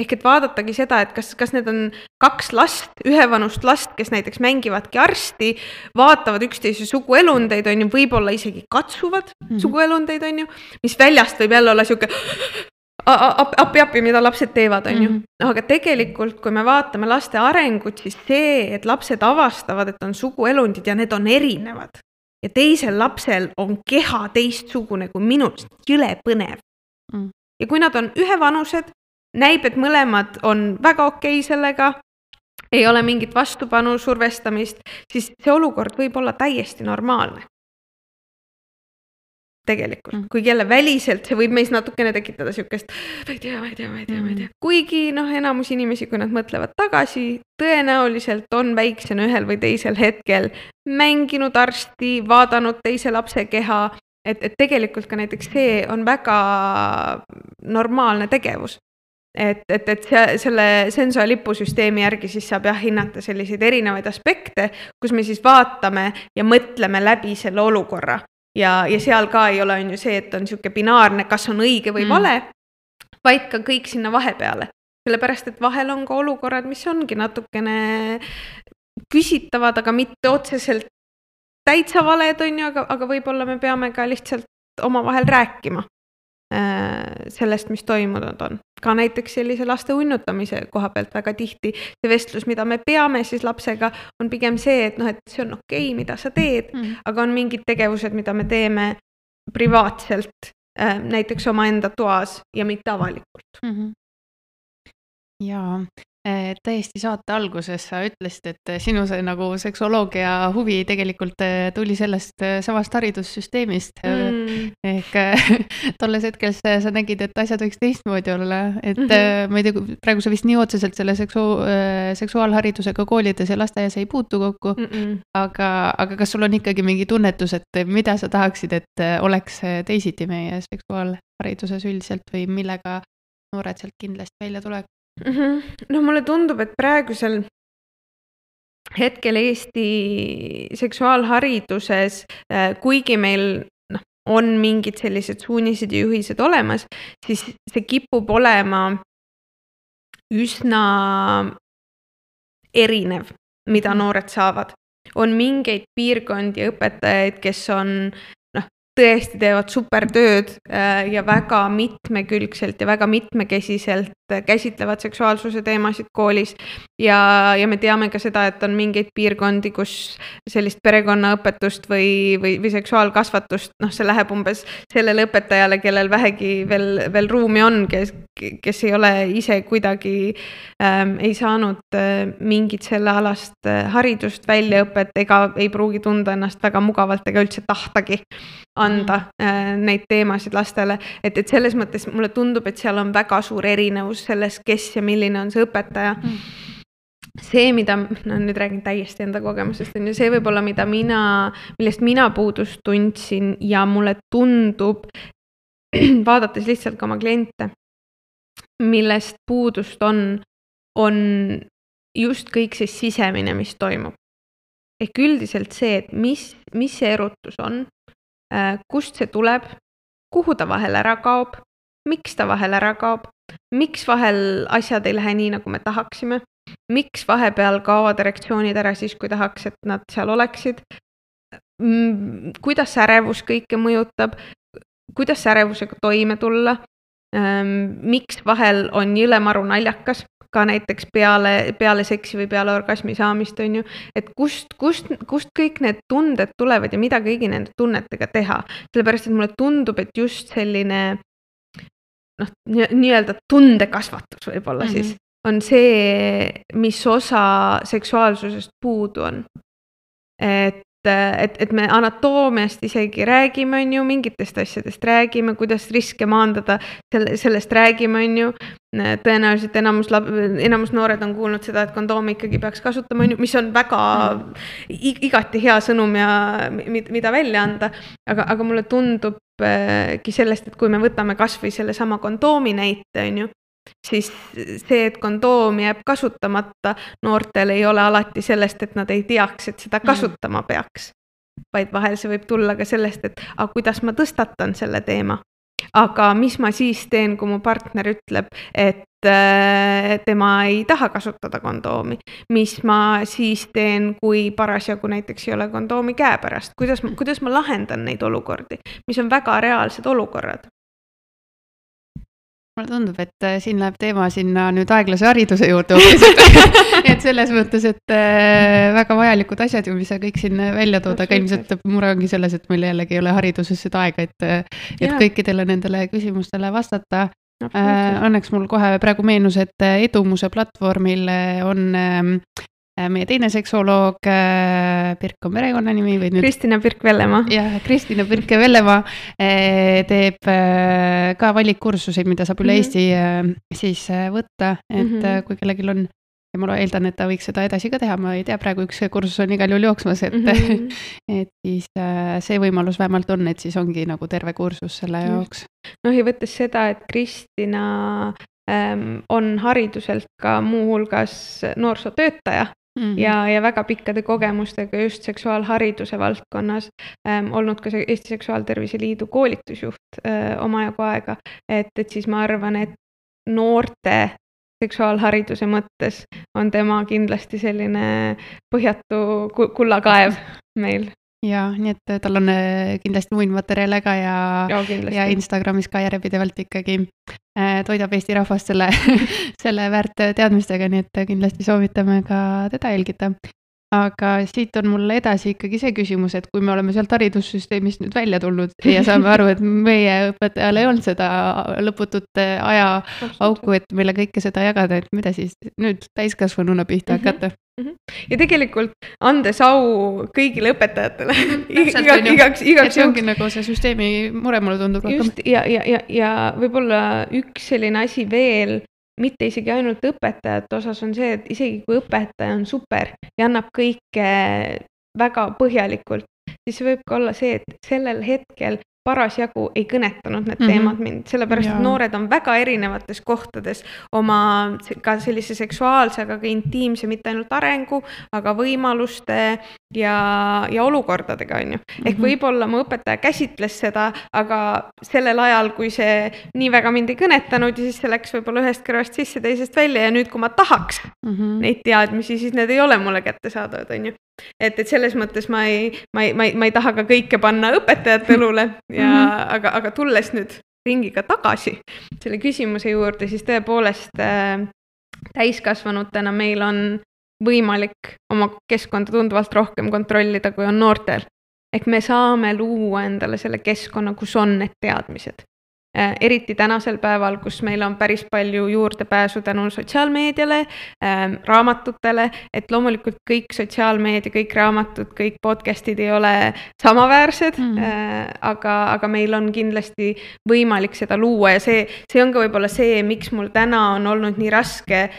ehk et vaadatagi seda, et kas, kas need on kaks last, ühevanust last, kes näiteks mängivadki arsti, vaatavad üksteise suguelundeid, on ju, võib-olla isegi katsuvad mm-hmm. suguelundeid, on ju, mis väljast võib jälle olla siuke appi-appi, mida lapsed teevad, on ju. Mm-hmm. Aga tegelikult, kui me vaatame laste arengut, siis see, et lapsed avastavad, et on suguelundid ja need on erinevad. Ja teisel lapsel on keha teistsugune kui minust, jõle põnev. Mm. Ja kui nad on ühevanused, näib, et mõlemad on väga okei sellega, ei ole mingit vastupanu survestamist, siis see olukord võib olla täiesti normaalne. Tegelikult, mm. kui jälle väliselt, see võib meis natukene tekitada siukest, ma ei tea, ma ei tea, ma ei tea, ma ei tea. Kuigi noh, enamus inimesi, kui nad mõtlevad tagasi, tõenäoliselt on väiksena ühel või teisel hetkel mänginud arsti, vaadanud teise lapse keha, et, et tegelikult ka näiteks see on väga normaalne tegevus. Et, et, et see, selle Sensua lipusüsteemi järgi siis saab jah hinnata selliseid erinevaid aspekte, kus me siis vaatame ja mõtleme läbi selle olukorra. Ja, ja seal ka ei ole on ju see, et on siuke binaarne, kas on õige või vale, mm. vaid ka kõik sinna vahepeale. Sellepärast, et vahel on ka olukorrad, mis ongi natukene küsitavad, aga mitte otseselt täitsa valed on ju, aga, aga võib-olla me peame ka lihtsalt oma vahel rääkima äh, sellest, mis toimunud on. Ka näiteks sellise laste unnutamise koha pealt väga tihti see vestlus, mida me peame siis lapsega, on pigem see, et, noh, et see on okei, mida sa teed, mm. aga on mingid tegevused, mida me teeme privaatselt, äh, näiteks oma enda toas ja mitte avalikult. Mm-hmm. Jaa, täiesti saate alguses sa ütlesid, et sinu see nagu seksuoloogia huvi tegelikult tuli sellest samast haridussüsteemist. Mm. Ehk tolles hetkes sa nägid, et asjad võiks teistmoodi olla. Et mm-hmm. ma ei tea, praegu sa vist nii otseselt selle seksu, seksuaalharidusega koolides ja lasteaias ei puutu kokku. Mm-mm. Aga, aga kas sul on ikkagi mingi tunnetus, et mida sa tahaksid, et oleks teisiti meie seksuaalhariduses üldiselt või millega noored sealt kindlasti välja tuleb? Mm-hmm. No mulle tundub, et praegusel hetkel Eesti seksuaalhariduses, kuigi meil noh, on mingid sellised suunised ja juhised olemas, siis see kipub olema üsna erinev, mida noored saavad. On mingeid piirkondi õpetajaid, kes on noh, tõesti teevad supertööd ja väga mitmekülgselt ja väga mitmekesiselt käsitlevad seksuaalsuse teemasid koolis ja, ja me teame ka seda, et on mingeid piirkondi, kus sellist perekonnaõpetust või, või, või seksuaalkasvatust, noh, see läheb umbes sellele õpetajale, kellel vähegi veel, veel ruumi on, kes, kes ei ole ise kuidagi ähm, ei saanud äh, mingit selle alast äh, haridust, väljaõpet ega ei pruugi tunda ennast väga mugavalt ega üldse tahtagi anda äh, neid teemasid lastele, et, et selles mõttes mulle tundub, et seal on väga suur erinevus selles, kes ja milline on see õpetaja. Mm. See, mida, no nüüd räägin täiesti enda kogemusest, on ju see võib-olla, mida mina, millest mina puudust tundsin ja mulle tundub, vaadates lihtsalt ka oma kliente, millest puudust on, on just kõik see sisemine, mis toimub. Ehk üldiselt see, et mis, mis see erutus on, kust see tuleb, kuhu ta vahel ära kaob, miks ta vahel ära kaob, miks vahel asjad ei lähe nii, nagu me tahaksime, miks vahepeal kaovad erektsioonid ära siis, kui tahaks, et nad seal oleksid, kuidas ärevus kõike mõjutab, kuidas ärevusega toime tulla, miks vahel on jõlemaru naljakas, ka näiteks peale, peale seksi või peale orgasmi saamist, on ju, et kust, kust, kust kõik need tunded tulevad ja mida kõigi nende tunnetega teha. Sellepärast, et mulle tundub, et just selline noh, nii-öelda tundekasvatus võib-olla mm-hmm. siis on see, mis osa seksuaalsusest puudu on. Et Et, et me anatoomiast isegi räägime, on ju, mingitest asjadest räägime, kuidas riske maandada, selle, sellest räägime, on ju. Tõenäoliselt enamus, enamus noored on kuulnud seda, et kondoomi ikkagi peaks kasutama, on ju, mis on väga igati hea sõnum ja mida välja anda. Aga, aga mulle tundubki sellest, et kui me võtame kas või selle sama kondoomi näite, on ju, siis see, et kondoom jääb kasutamata, noortel ei ole alati sellest, et nad ei teaks, et seda kasutama peaks. Vaid vahel see võib tulla ka sellest, et a, kuidas ma tõstatan selle teema. Aga mis ma siis teen, kui mu partner ütleb, et äh, tema ei taha kasutada kondoomi? Mis ma siis teen, kui parasjagu näiteks ei ole kondoomi käepärast? Kuidas, kuidas ma lahendan neid olukordi? Mis on väga reaalsed olukorrad? Mulle tundub, et siin läheb teema sinna nüüd aeglase hariduse juurde. Et selles mõttes, et väga vajalikud asjad ju, mis sa kõik siin välja tood, aga ilmselt mure ongi selles, et meil jällegi ei ole hariduses seda aega, et, et kõikidele nendele küsimustele vastata. Õnneks mul kohe praegu meenus, et Edumuse platvormil on meie teine seksuoloog, Pirk on perekonna nimi. Või nüüd... Kristina Pirk-Vellemaa. Jah, Kristina Pirk-Vellemaa teeb ka valikkursuseid, mida saab üle Eesti siis võtta, et mm-hmm. kui kellelgi on, ja ma eeldan, et ta võiks seda edasi ka teha, ma ei tea, praegu üks kursus on igal juhul jooksmas, et, mm-hmm. et siis see võimalus vähemalt on, et siis ongi nagu terve kursus selle jaoks. Noh, ja võttes seda, et Kristina ähm, on hariduselt ka muuhulgas noorsootöötaja, Mm-hmm. Ja, ja väga pikkade kogemustega just seksuaalhariduse valdkonnas ähm, olnud ka Eesti Seksuaaltervise Liidu koolitusjuht äh, omajagu aega, et, et siis ma arvan, et noorte seksuaalhariduse mõttes on tema kindlasti selline põhjatu kullakaev meil. Ja, nii et tal on kindlasti muid materjale ka ja, ja, ja Instagramis ka järjepidevalt ikkagi toidab Eesti rahvast selle, selle väärt teadmistega, nii et kindlasti soovitame ka teda jälgida. Aga siit on mul edasi ikkagi see küsimus, et kui me oleme sealt haridussüsteemist nüüd välja tulnud ja saame aru, et meie õpetajal ei olnud seda lõputut aja auku, et meile kõike seda jagada, et mida siis nüüd täiskasvanuna pihta hakata. Ja tegelikult andes au kõigile õpetajatele igaks, igaks, igaks see ongi nagu see süsteemi mure mulle tundub. Just, ja, ja, ja, ja võib-olla üks selline asi veel, mitte isegi ainult õpetajate osas on see, et isegi kui õpetaja on super ja annab kõike väga põhjalikult, siis see võib ka olla see, et sellel hetkel parasjagu ei kõnetanud need teemad mm-hmm. mind, sellepärast, ja. Et noored on väga erinevates kohtades oma ka sellise seksuaalse, aga ka intiimse, mitte ainult arengu, aga võimaluste ja, ja olukordadega, on ju. Ehk mm-hmm. võib-olla mu õpetaja käsitles seda, aga sellel ajal, kui see nii väga mind ei kõnetanud ja siis see läks võib-olla ühest kõrvast sisse, teisest välja ja nüüd, kui ma tahaks mm-hmm. neid teadmisi, siis need ei ole mulle kätte saadavad, on ju. et, et selles mõttes ma ei, ma ei, ma ei, ma ei taha ka kõike panna õpetajate õlule ja mm -hmm. aga, aga tulles nüüd ringiga tagasi selle küsimuse juurde, siis tõepoolest äh, täiskasvanutena meil on võimalik oma keskkonda tunduvalt rohkem kontrollida, kui on noortel. Ehk me saame luua endale selle keskkonna, kus on need teadmised. Äh, eriti tänasel päeval, kus meil on päris palju juurdepääsu tänu sotsiaalmeediale, äh, raamatutele, et loomulikult kõik sotsiaalmeedia, kõik raamatud, kõik podcastid ei ole samaväärsed, mm. äh, aga, aga meil on kindlasti võimalik seda luua ja see, see on ka võib-olla see, miks mul täna on olnud nii raske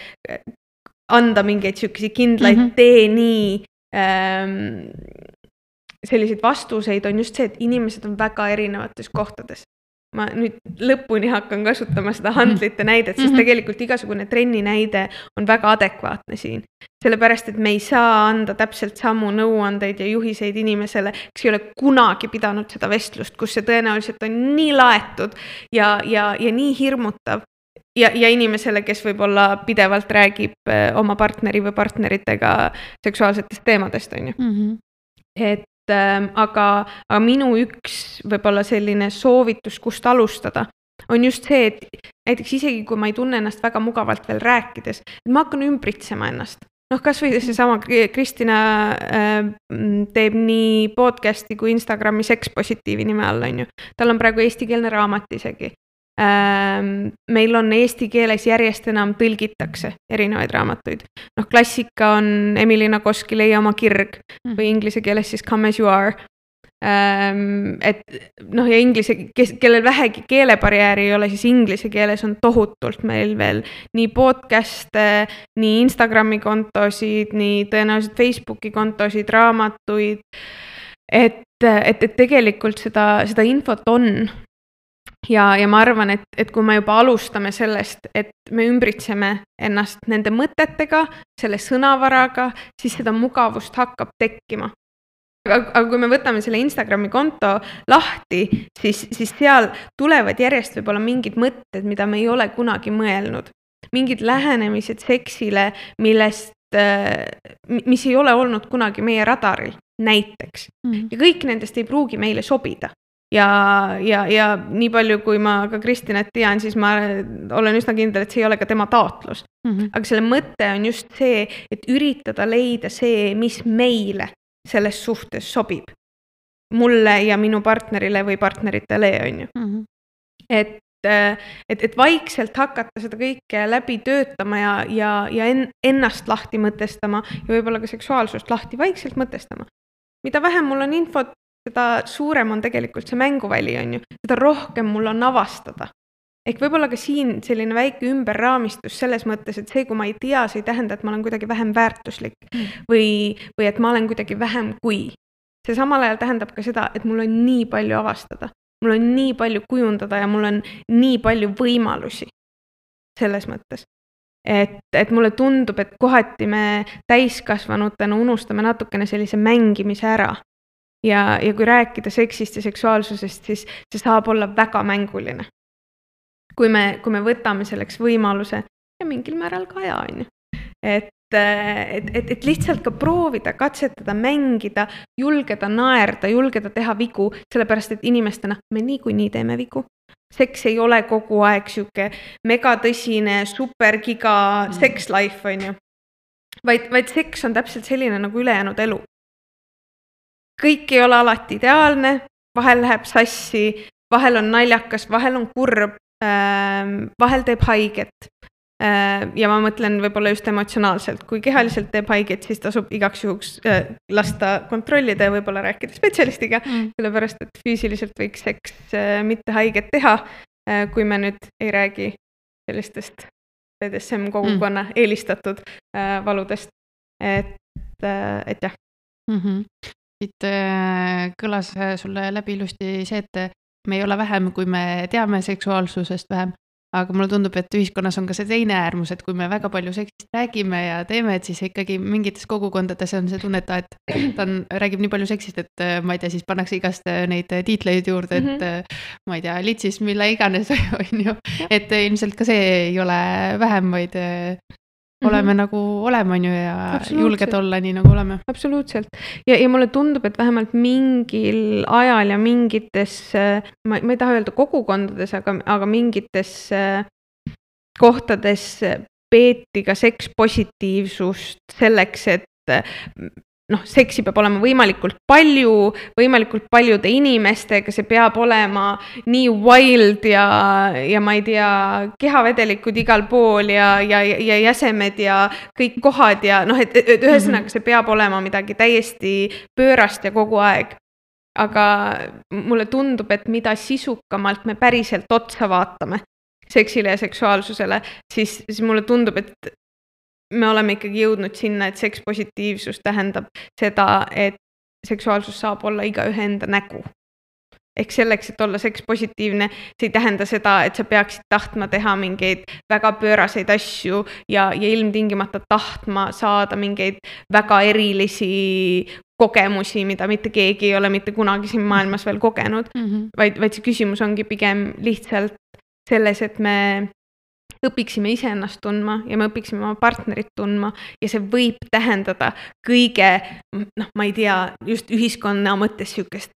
anda mingeid sihukesi kindlaid mm -hmm. tee nii ähm, selliseid vastuseid, on just see, et inimesed on väga erinevates kohtades. Ma nüüd lõpuni hakkan kasutama seda handlite näidet, sest tegelikult igasugune trenni näide on väga adekvaatne siin. Sellepärast, et me ei saa anda täpselt samu nõuandeid ja juhiseid inimesele, kes ei ole kunagi pidanud seda vestlust, kus see tõenäoliselt on nii laetud ja, ja, ja nii hirmutav. Ja, ja inimesele, kes võib-olla pidevalt räägib oma partneri või partneritega seksuaalsetest teemadest, on ju. Mm -hmm. Et ähm, aga, aga minu üks võib-olla selline soovitus, kust alustada, on just see, et näiteks isegi kui ma ei tunne ennast väga mugavalt veel rääkides, et ma hakkan ümbritsema ennast. Noh, kas või seesama Kristina äh, teeb nii podcasti kui Instagrami sekspositiivi nime all, on ju. Tal on praegu eestikeelne raamat isegi. Meil on eesti keeles järjest enam tõlgitakse erinevaid raamatuid. Noh, klassika on Emily Nagoski Leia oma kirg või inglise keeles siis Come as you are. Et noh, ja inglise, kellel vähegi keelebarjääri ei ole, siis inglise keeles on tohutult meil veel nii podcast'e, nii Instagrami kontosid, nii tõenäoliselt Facebooki kontosid, raamatuid. Et, et, et tegelikult seda, seda infot on. Ja, ja ma arvan, et, et kui me juba alustame sellest, et me ümbritseme ennast nende mõtetega, selle sõnavaraga, siis seda mugavust hakkab tekkima. Aga, aga kui me võtame selle Instagrami konto lahti, siis, siis seal tulevad järjest võib-olla mingid mõtted, mida me ei ole kunagi mõelnud. Mingid lähenemised seksile, millest, mis ei ole olnud kunagi meie radaril, näiteks. Mm. Ja kõik nendest ei pruugi meile sobida. Ja, ja, ja nii palju, kui ma ka Kristinat tean, siis ma olen üsna kindel, et see ei ole ka tema taotlus. Mm-hmm. Aga selle mõte on just see, et üritada leida see, mis meile selles suhtes sobib. Mulle ja minu partnerile või partneritele, on ju. Mm-hmm. Et, et, et vaikselt hakata seda kõike läbi töötama ja, ja, ja ennast lahti mõtestama ja võib-olla ka seksuaalsust lahti vaikselt mõtestama. Mida vähem mul on infot, seda suurem on tegelikult see mänguväli, on ju. Seda rohkem mul on avastada. Ehk võib-olla ka siin selline väike ümberraamistus selles mõttes, et see, kui ma ei tea, see ei tähenda, et ma olen kuidagi vähem väärtuslik mm. või, või et ma olen kuidagi vähem kui. See samal ajal tähendab ka seda, et mul on nii palju avastada. Mul on nii palju kujundada ja mul on nii palju võimalusi selles mõttes. Et, et mulle tundub, et kohati me täiskasvanutena unustame natukene sellise mängimise ära. Ja, ja kui rääkida seksist ja seksuaalsusest, siis see saab olla väga mänguline. Kui me, kui me võtame selleks võimaluse ja mingil määral ka aja, on ju. Et, et, et, et lihtsalt ka proovida, katsetada, mängida, julgeda naerda, julgeda teha vigu, sellepärast, et inimestena me niikuinii teeme vigu. Seks ei ole kogu aeg siuke megatõsine, supergiga mm. sex life, on ju. Vaid, vaid seks on täpselt selline nagu ülejäänud elu. Kõik ei ole alati ideaalne, vahel läheb sassi, vahel on naljakas, vahel on kurb, vahel teeb haiget. Ja ma mõtlen võib-olla just emotsionaalselt. Kui kehaliselt teeb haiget, siis tasub igaks juhuks lasta kontrollida ja võib-olla rääkida spetsialistiga, mm. sellepärast, et füüsiliselt võiks seks mitte haiget teha, kui me nüüd ei räägi sellistest B D S M kogukonna mm. eelistatud valudest. Et, et jah. Mm-hmm. Siit kõlas sulle läbi ilusti see, et me ei ole vähem, kui me teame seksuaalsusest vähem, aga mulle tundub, et ühiskonnas on ka see teine äärmus, et kui me väga palju seksist räägime ja teeme, et siis ikkagi mingites kogukondades on see tunneta, et ta on, räägib nii palju seksist, et ma ei tea, siis pannakse igast neid tiitleid juurde, et mm-hmm. ma ei tea, litsis, mille iganes on ju, et ilmselt ka see ei ole vähem, vaid oleme nagu oleme on ju ja julged olla nii nagu oleme. Absoluutselt. Ja, ja mulle tundub, et vähemalt mingil ajal ja mingites, ma, ma ei taha öelda kogukondades, aga, aga mingites kohtades peeti ka sekspositiivsust selleks, et noh, seksi peab olema võimalikult palju, võimalikult paljude inimestega, see peab olema nii wild ja, ja ma ei tea, kehavedelikud igal pool ja, ja, ja jäsemed ja kõik kohad ja noh, et, et ühesõnaga see peab olema midagi täiesti pöörast ja kogu aeg. Aga mulle tundub, et mida sisukamalt me päriselt otsa vaatame seksile ja seksuaalsusele, siis, siis mulle tundub, et me oleme ikkagi jõudnud sinna, et sekspositiivsus tähendab seda, et seksuaalsus saab olla igaühe enda nägu. Ehk selleks, et olla sekspositiivne, see ei tähenda seda, et sa peaksid tahtma teha mingeid väga pööraseid asju ja, ja ilmtingimata tahtma saada mingeid väga erilisi kogemusi, mida mitte keegi ei ole mitte kunagi siin maailmas veel kogenud, mm-hmm. vaid, vaid see küsimus ongi pigem lihtsalt selles, et me õpiksime iseennast tundma ja me õpiksime oma partnerit tundma ja see võib tähendada kõige, noh, ma ei tea, just ühiskonna mõttes sükest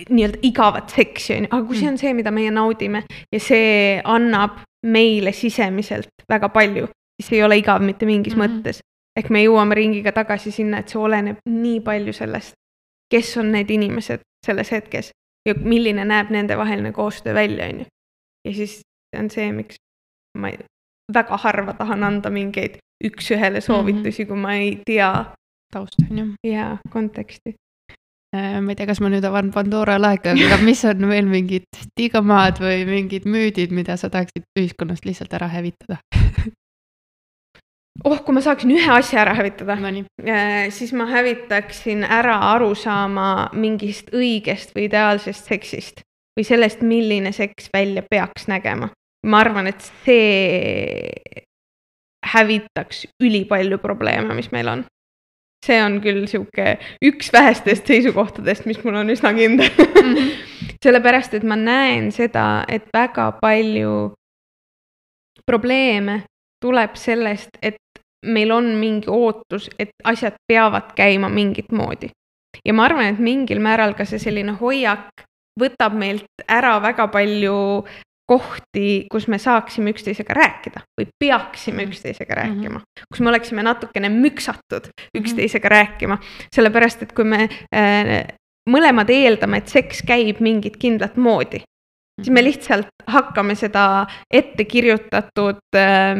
nii-öelda igavat seksi, aga kui see on see, mida meie naudime ja see annab meile sisemiselt väga palju, siis ei ole igav mitte mingis mm-hmm. mõttes. Ehk me jõuame ringiga tagasi sinna, et see oleneb nii palju sellest, kes on need inimesed selles hetkes ja milline näeb nende vaheline koostöö välja. Ja siis see on see, miks ma ei, väga harva tahan anda mingeid üks-ühele soovitusi, kui ma ei tea tausta ja konteksti. Ma ei tea, kas ma nüüd avan Pandora laeka, aga mis on veel mingid stigmaad või mingid müüdid, mida sa tahaksid ühiskonnast lihtsalt ära hävitada? Oh, kui ma saaksin ühe asja ära hävitada, siis ma hävitaksin ära aru saama mingist õigest või ideaalsest seksist või sellest, milline seks välja peaks nägema. Ma arvan, et see hävitaks ülipalju probleeme, mis meil on. See on küll siuke üks vähestest seisukohtadest, mis mul on üsna kindel. Mm-hmm. Sellepärast, et ma näen seda, et väga palju probleeme tuleb sellest, et meil on mingi ootus, et asjad peavad käima mingit moodi. Ja ma arvan, et mingil määral ka see selline hoiak võtab meilt ära väga palju kohti, kus me saaksime üksteisega rääkida või peaksime üksteisega rääkima, mm-hmm. kus me oleksime natukene müksatud üksteisega mm-hmm. rääkima, sellepärast, et kui me äh, mõlemad eeldame, et seks käib mingit kindlat moodi, mm-hmm. siis me lihtsalt hakkame seda ette kirjutatud äh,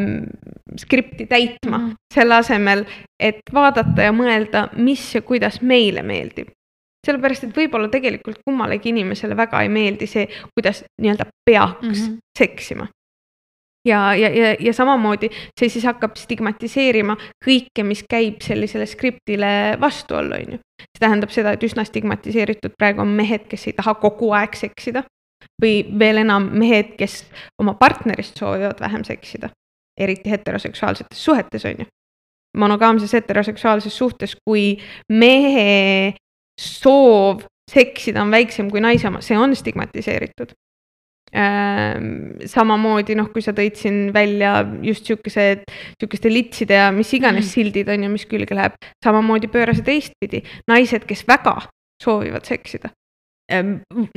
skripti täitma mm-hmm. selle asemel, et vaadata ja mõelda, mis ja kuidas meile meeldib. Sellepärast, et võib-olla tegelikult kummalegi inimesele väga ei meeldi see, kuidas nii-öelda peaks mm-hmm. seksima. Ja, ja, ja, ja samamoodi see siis hakkab stigmatiseerima kõike, mis käib sellisele skriptile vastu olla. See tähendab seda, et üsna stigmatiseeritud praegu on mehed, kes ei taha kogu aeg seksida või veel enam mehed, kes oma partnerist soovivad vähem seksida, eriti heteroseksuaalsetes suhetes on ju. Monogaamses heteroseksuaalses suhtes, kui mehe soov seksida on väiksem kui naise oma, see on stigmatiseeritud. Samamoodi, noh, kui sa tõid siin välja just siukesed, siukeste litside ja mis iganes mm. sildid on ja mis külge läheb, samamoodi pöörase teistpidi. Naised, kes väga soovivad seksida.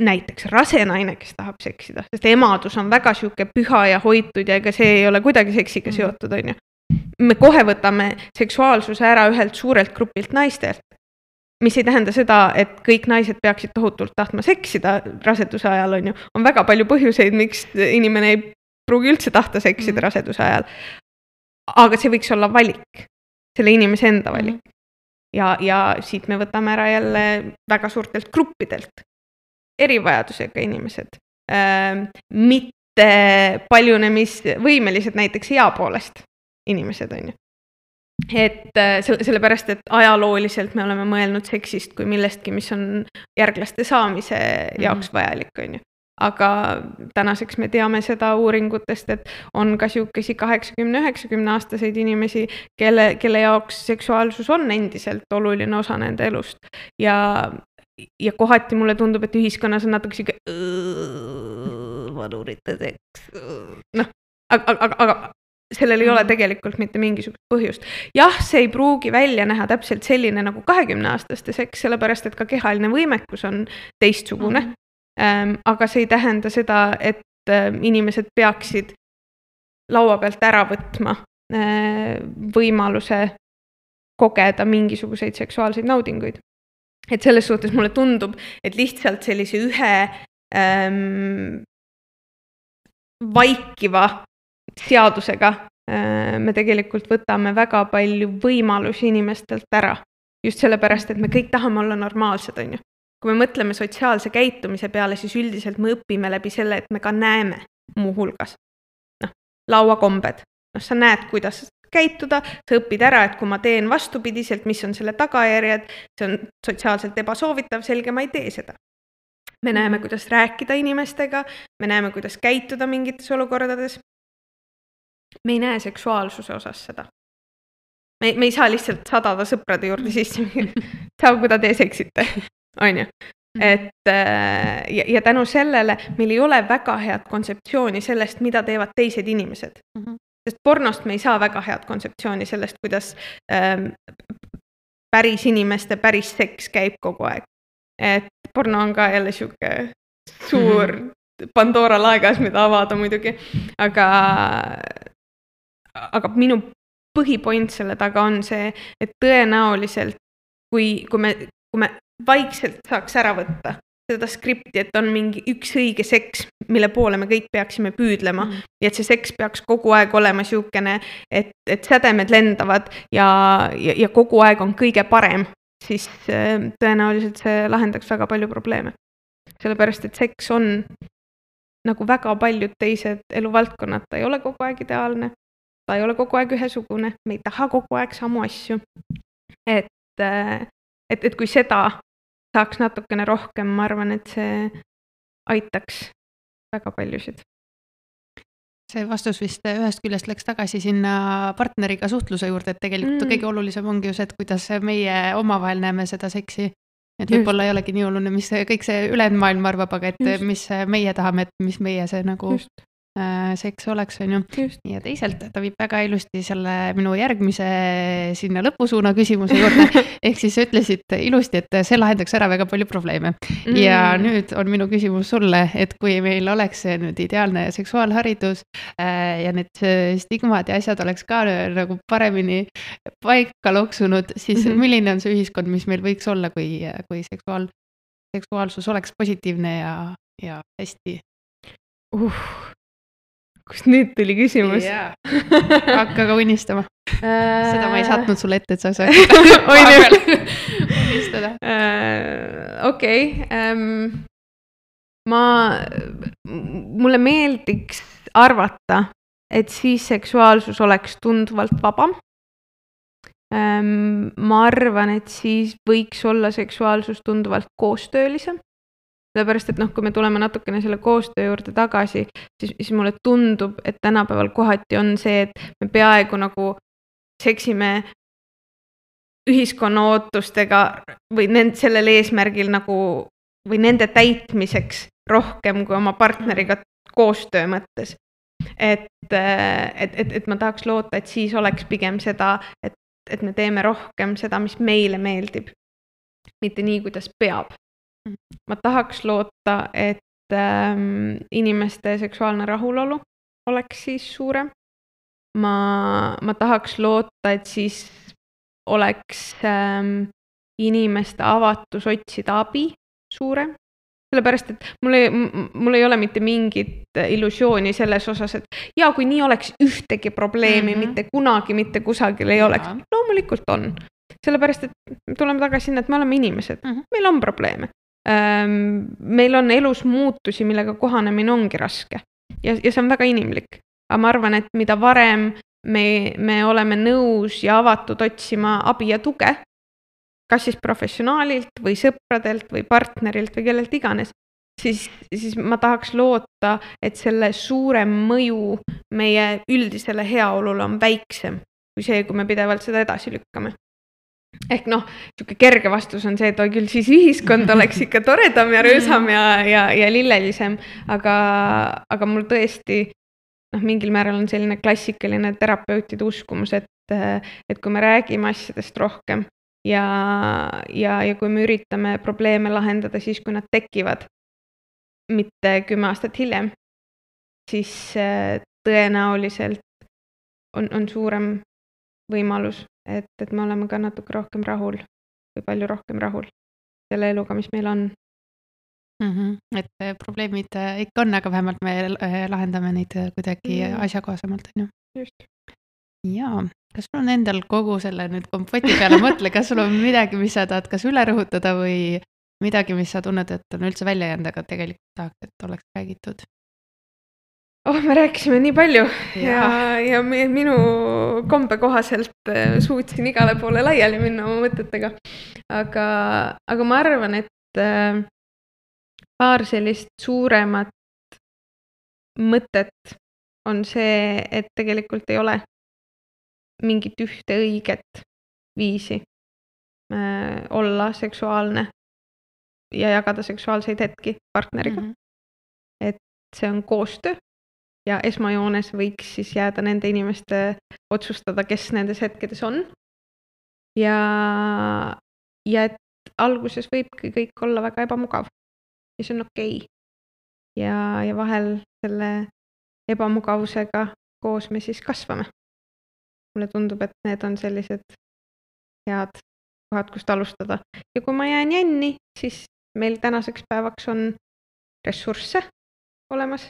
Näiteks rase naine, kes tahab seksida, sest emadus on väga siuke püha ja hoitud ja ega see ei ole kuidagi seksiga seotud, on ju. Me kohe võtame seksuaalsuse ära ühelt suurelt grupilt naistelt. Mis ei tähenda seda, et kõik naised peaksid tohutult tahtma seksida raseduse ajal, on ju. On väga palju põhjuseid, miks inimene ei pruugi üldse tahta seksida raseduse ajal. Aga see võiks olla valik, selle inimese enda valik. Ja, ja siit me võtame ära jälle väga suurtelt gruppidelt erivajadusega inimesed. Äh, mitte paljunemis võimelised näiteks ea poolest inimesed, on ju. Et sellepärast, et ajalooliselt me oleme mõelnud seksist kui millestki, mis on järglaste saamise jaoks vajalik, on ju. Aga tänaseks me teame seda uuringutest, et on ka siukesi kaheksakümne üheksakümne aastaseid inimesi, kelle, kelle jaoks seksuaalsus on endiselt oluline osa nende elust. Ja, ja kohati mulle tundub, et ühiskonnas on natuke siuke vanurite seks. Noh, aga, aga, aga sellel ei ole tegelikult mitte mingisugust põhjust. Jah, see ei pruugi välja näha täpselt selline nagu kahekümne aastaste seks, sellepärast et ka kehaline võimekus on teistsugune. Mm-hmm. Ähm, aga see ei tähenda seda, et äh, inimesed peaksid laua pealt ära võtma äh, võimaluse kogeda mingisuguseid seksuaalseid naudinguid. Et selles suhtes mulle tundub, et lihtsalt sellise ühe ähm, vaikiva seadusega äh, me tegelikult võtame väga palju võimalusi inimestelt ära. Just sellepärast, et me kõik tahame olla normaalsed, on ju. Kui me mõtleme sotsiaalse käitumise peale, siis üldiselt me õpime läbi selle, et me ka näeme muu hulgas. Noh, lauakombed. Noh, sa näed, kuidas käituda, sa õpid ära, et kui ma teen vastupidiselt, mis on selle tagajärjed, see on sotsiaalselt ebasoovitav, selge, ma ei tee seda. Me näeme, kuidas rääkida inimestega, me näeme, kuidas käituda mingites olukordades. Me ei näe seksuaalsuse osas seda. Me, me ei saa lihtsalt sadada sõprade juurde sisse. Saa, kuda te seksite, on ju. Et, ja, ja tänu sellele meil ei ole väga head kontseptsiooni sellest, mida teevad teised inimesed. Mm-hmm. Sest pornost me ei saa väga head kontseptsiooni sellest, kuidas ähm, päris inimeste päris seks käib kogu aeg. Et porno on ka jälle siuke suur mm-hmm. Pandora laegas, mida avada muidugi. Aga, aga minu põhipoint selle taga on see, et tõenäoliselt, kui, kui, me, kui me vaikselt saaks ära võtta seda skripti, et on mingi üks õige seks, mille poole me kõik peaksime püüdlema mm. ja et see seks peaks kogu aeg olema siukene, et, et sädemed lendavad ja, ja, ja kogu aeg on kõige parem, siis tõenäoliselt see lahendaks väga palju probleeme. Sellepärast, et seks on nagu väga paljud teised eluvaldkonnad, ta ei ole kogu aeg ideaalne, ta ei ole kogu aeg ühesugune, me ei taha kogu aeg samu asju. Et, et, et kui seda saaks natukene rohkem, ma arvan, et see aitaks väga paljusid. See vastus vist ühest küljest läks tagasi sinna partneriga suhtluse juurde, et tegelikult mm. kõige olulisem ongi just, et kuidas meie omavahel näeme seda seksi. Et võib-olla ei olegi nii oluline, mis kõik see ülejäänud maailm arvab, aga et just. Mis meie tahame, et mis meie see nagu just. Seks oleks, on ju. Just. Ja teisalt ta viib väga ilusti selle minu järgmise sinna lõpusuuna küsimuse juurde. Ehk siis ütlesid ilusti, et see lahendaks ära väga palju probleeme. Mm. Ja nüüd on minu küsimus sulle, et kui meil oleks nüüd ideaalne seksuaalharidus ja need stigmad ja asjad oleks ka nagu paremini paika loksunud, siis mm-hmm. milline on see ühiskond, mis meil võiks olla, kui, kui seksuaal, seksuaalsus oleks positiivne ja, ja hästi? Uh. Kust nüüd tuli küsimus? Yeah. Hakka ka unistama. Seda ma ei saatnud sulle ette, et sa saad unistada. Okei. Ma, mulle meeldiks arvata, et siis seksuaalsus oleks tunduvalt vabam. Ma arvan, et siis võiks olla seksuaalsus tunduvalt koostöölisem. Sellepärast, et noh, kui me tuleme natukene selle koostöö juurde tagasi, siis, siis mulle tundub, et tänapäeval kohati on see, et me peaaegu nagu seksime ühiskonna ootustega või nend, sellel eesmärgil nagu, või nende täitmiseks rohkem kui oma partneriga koostöö mõttes. Et, et, et, et ma tahaks loota, et siis oleks pigem seda, et, et me teeme rohkem seda, mis meile meeldib. Mitte nii, kuidas peab. Ma tahaks loota, et ähm, inimeste seksuaalne rahulolu oleks siis suurem. Ma, ma tahaks loota, et siis oleks ähm, inimeste avatus otsida abi suurem. Sellepärast, et mul ei, mul ei ole mitte mingit illusiooni selles osas, et ja kui nii oleks ühtegi probleemi, mm-hmm. mitte kunagi, mitte kusagil ei oleks. Loomulikult on. Sellepärast, et tuleme tagasi sinna, et me oleme inimesed. Mm-hmm. Meil on probleeme. Meil on elus muutusi, millega kohanemine ongi raske ja, ja see on väga inimlik. Aga ma arvan, et mida varem me, me oleme nõus ja avatud otsima abi ja tuge, kas siis professionaalilt või sõpradelt või partnerilt või kellelt iganes, siis, siis ma tahaks loota, et selle suurem mõju meie üldisele heaolule on väiksem kui see, kui me pidevalt seda edasi lükkame. Ehk noh, siuke kerge vastus on see, et oi küll siis ühiskond oleks ikka toredam ja röösam ja, ja, ja lillelisem, aga, aga mul tõesti noh, mingil määral on selline klassikaline terapeutide uskumus, et, et kui me räägime asjadest rohkem ja, ja, ja kui me üritame probleeme lahendada siis, kui nad tekivad, mitte kümme aastat hiljem, siis tõenäoliselt on, on suurem võimalus, et, et me oleme ka natuke rohkem rahul või palju rohkem rahul selle eluga, mis meil on. Mm-hmm. Et probleemid ikka on, aga vähemalt me lahendame neid kuidagi mm. asjakohasemalt, on ju. Just. Jaa, kas sul on endal kogu selle nüüd kompoti peale mõtle, kas sul on midagi, mis sa tahad kas üle rõhutada või midagi, mis sa tunned, et on üldse välja jäänud, aga tegelikult tahaks, et oleks räägitud? Oh, me rääkisime nii palju ja, ja, ja minu kombe kohaselt suutsin igale poole laiali minna oma mõtetega. Aga, aga ma arvan, et paar sellist suuremat mõtet on see, et tegelikult ei ole mingit ühte õiget viisi äh, olla seksuaalne ja jagada seksuaalseid hetki partneriga. Mm-hmm. Et see on koostöö. Ja esmajoones võiks siis jääda nende inimeste otsustada, kes nendes hetkedes on. Ja, ja et alguses võibki kõik olla väga ebamugav. Ja see on okei. Ja, ja vahel selle ebamugavusega koos me siis kasvame. Mulle tundub, et need on sellised head kohad, kust alustada. Ja kui ma jään jänni, siis meil tänaseks päevaks on ressursse olemas.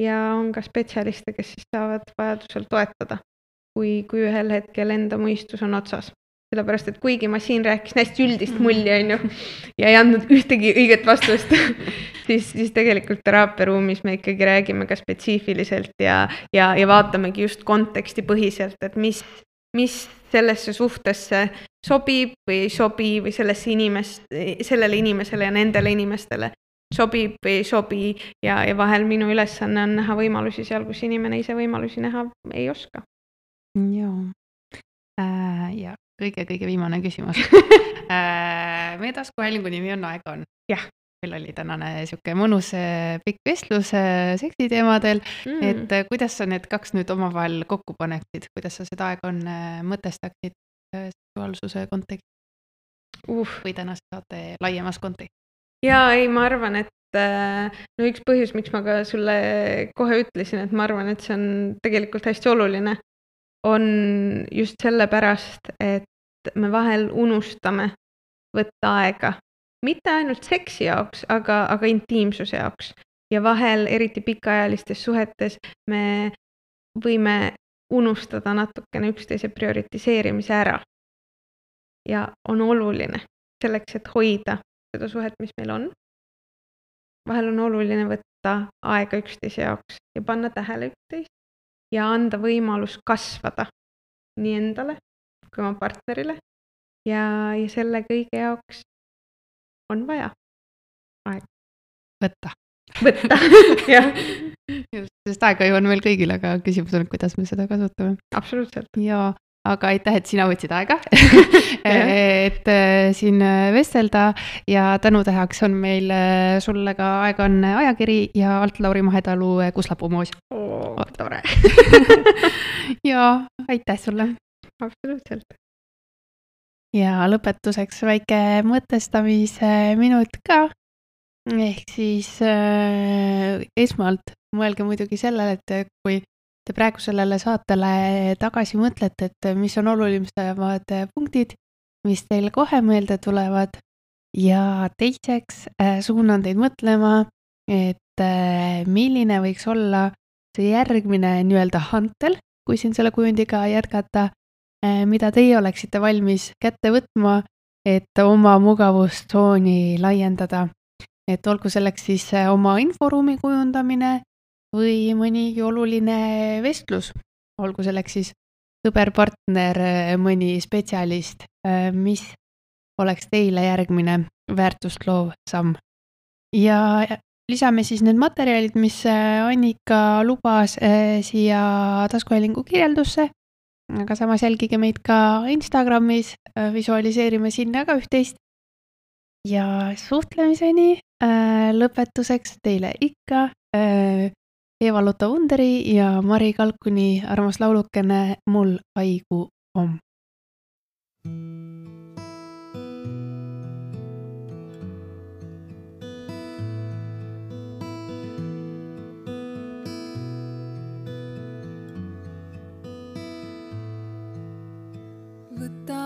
Ja on ka spetsialiste, kes siis saavad vajadusel toetada, kui, kui ühel hetkel enda mõistus on otsas. Sellepärast, et kuigi ma siin rääkisin hästi üldist mulli, on ju, ja ei andnud ühtegi õiget vastust, siis, siis tegelikult teraapiaruumis me ikkagi räägime ka spetsiifiliselt ja, ja, ja vaatamegi just konteksti põhiselt, et mis, mis sellesse suhtesse sobib või ei sobi või sellesse inimest, sellele inimesele ja nendele inimestele sobib või ei sobi ja, ja vahel minu ülesanne on näha võimalusi seal, kus inimene ise võimalusi näha ei oska. Joo. Äh, ja kõige-kõige viimane küsimus. äh, meie taskuhäälingu nimi on Aeg on. Jah. Meil oli tänane siuke mõnus pikk vestlus seksiteemadel, mm. et kuidas sa need kaks nüüd omavahel kokku paneksid, kuidas sa seda Aeg on mõtestaksid seksuaalsuse kontekst uh. või tänase saate laiemas kontekst? Jaa, ei, ma arvan, et no üks põhjus, miks ma ka sulle kohe ütlesin, et ma arvan, et see on tegelikult hästi oluline, on just sellepärast, et me vahel unustame võtta aega. Mitte ainult seksi jaoks, aga, aga intiimsuse jaoks. Ja vahel, eriti pikaajalistes suhetes, me võime unustada natukene üksteise prioritiseerimise ära. Ja on oluline selleks, et hoida seda suhet, mis meil on. Vahel on oluline võtta aega üksteise jaoks ja panna tähele üksteist ja anda võimalus kasvada nii endale kui oma partnerile ja, ja selle kõige jaoks on vaja aega. Võtta. Võtta, jah. Just, sest aega ju on meil kõigil, aga küsimus on, kuidas me seda kasutame. Absoluutselt. Ja aga aitäh, et sina võtsid aega, et siin vestelda ja tänutäheks on meil sulle ka Aeg on ajakiri ja alt Lauri Mahetalu Kuslapuu moos. Oo, tore. Ja aitäh sulle. Absoluutselt. Ja lõpetuseks väike mõtestamise minut ka. Ehk siis äh, esmalt mõelge muidugi sellele, et kui te praegu sellele saatele tagasi mõtlete, et mis on olulisemad punktid, mis teile kohe meelde tulevad ja teiseks suunan teid mõtlema, et milline võiks olla see järgmine nii-öelda hantel, kui siin selle kujundiga jätkata, mida teie oleksite valmis kätte võtma, et oma mugavustsooni laiendada. Et olgu selleks siis oma inforuumi kujundamine või mõnigi oluline vestlus, olgu selleks siis sõber-partner, mõni spetsialist, mis oleks teile järgmine väärtust loov samm. Ja lisame siis need materjalid, mis Annika lubas siia taskuhäälingu kirjeldusse, aga samas jälgige meid ka Instagramis, visualiseerime sinna ka üht-teist. Ja suhtlemiseni lõpetuseks teile ikka Eva-Lotta Underi ja Mari Kalkuni armas laulukene Mul aigu om. Võta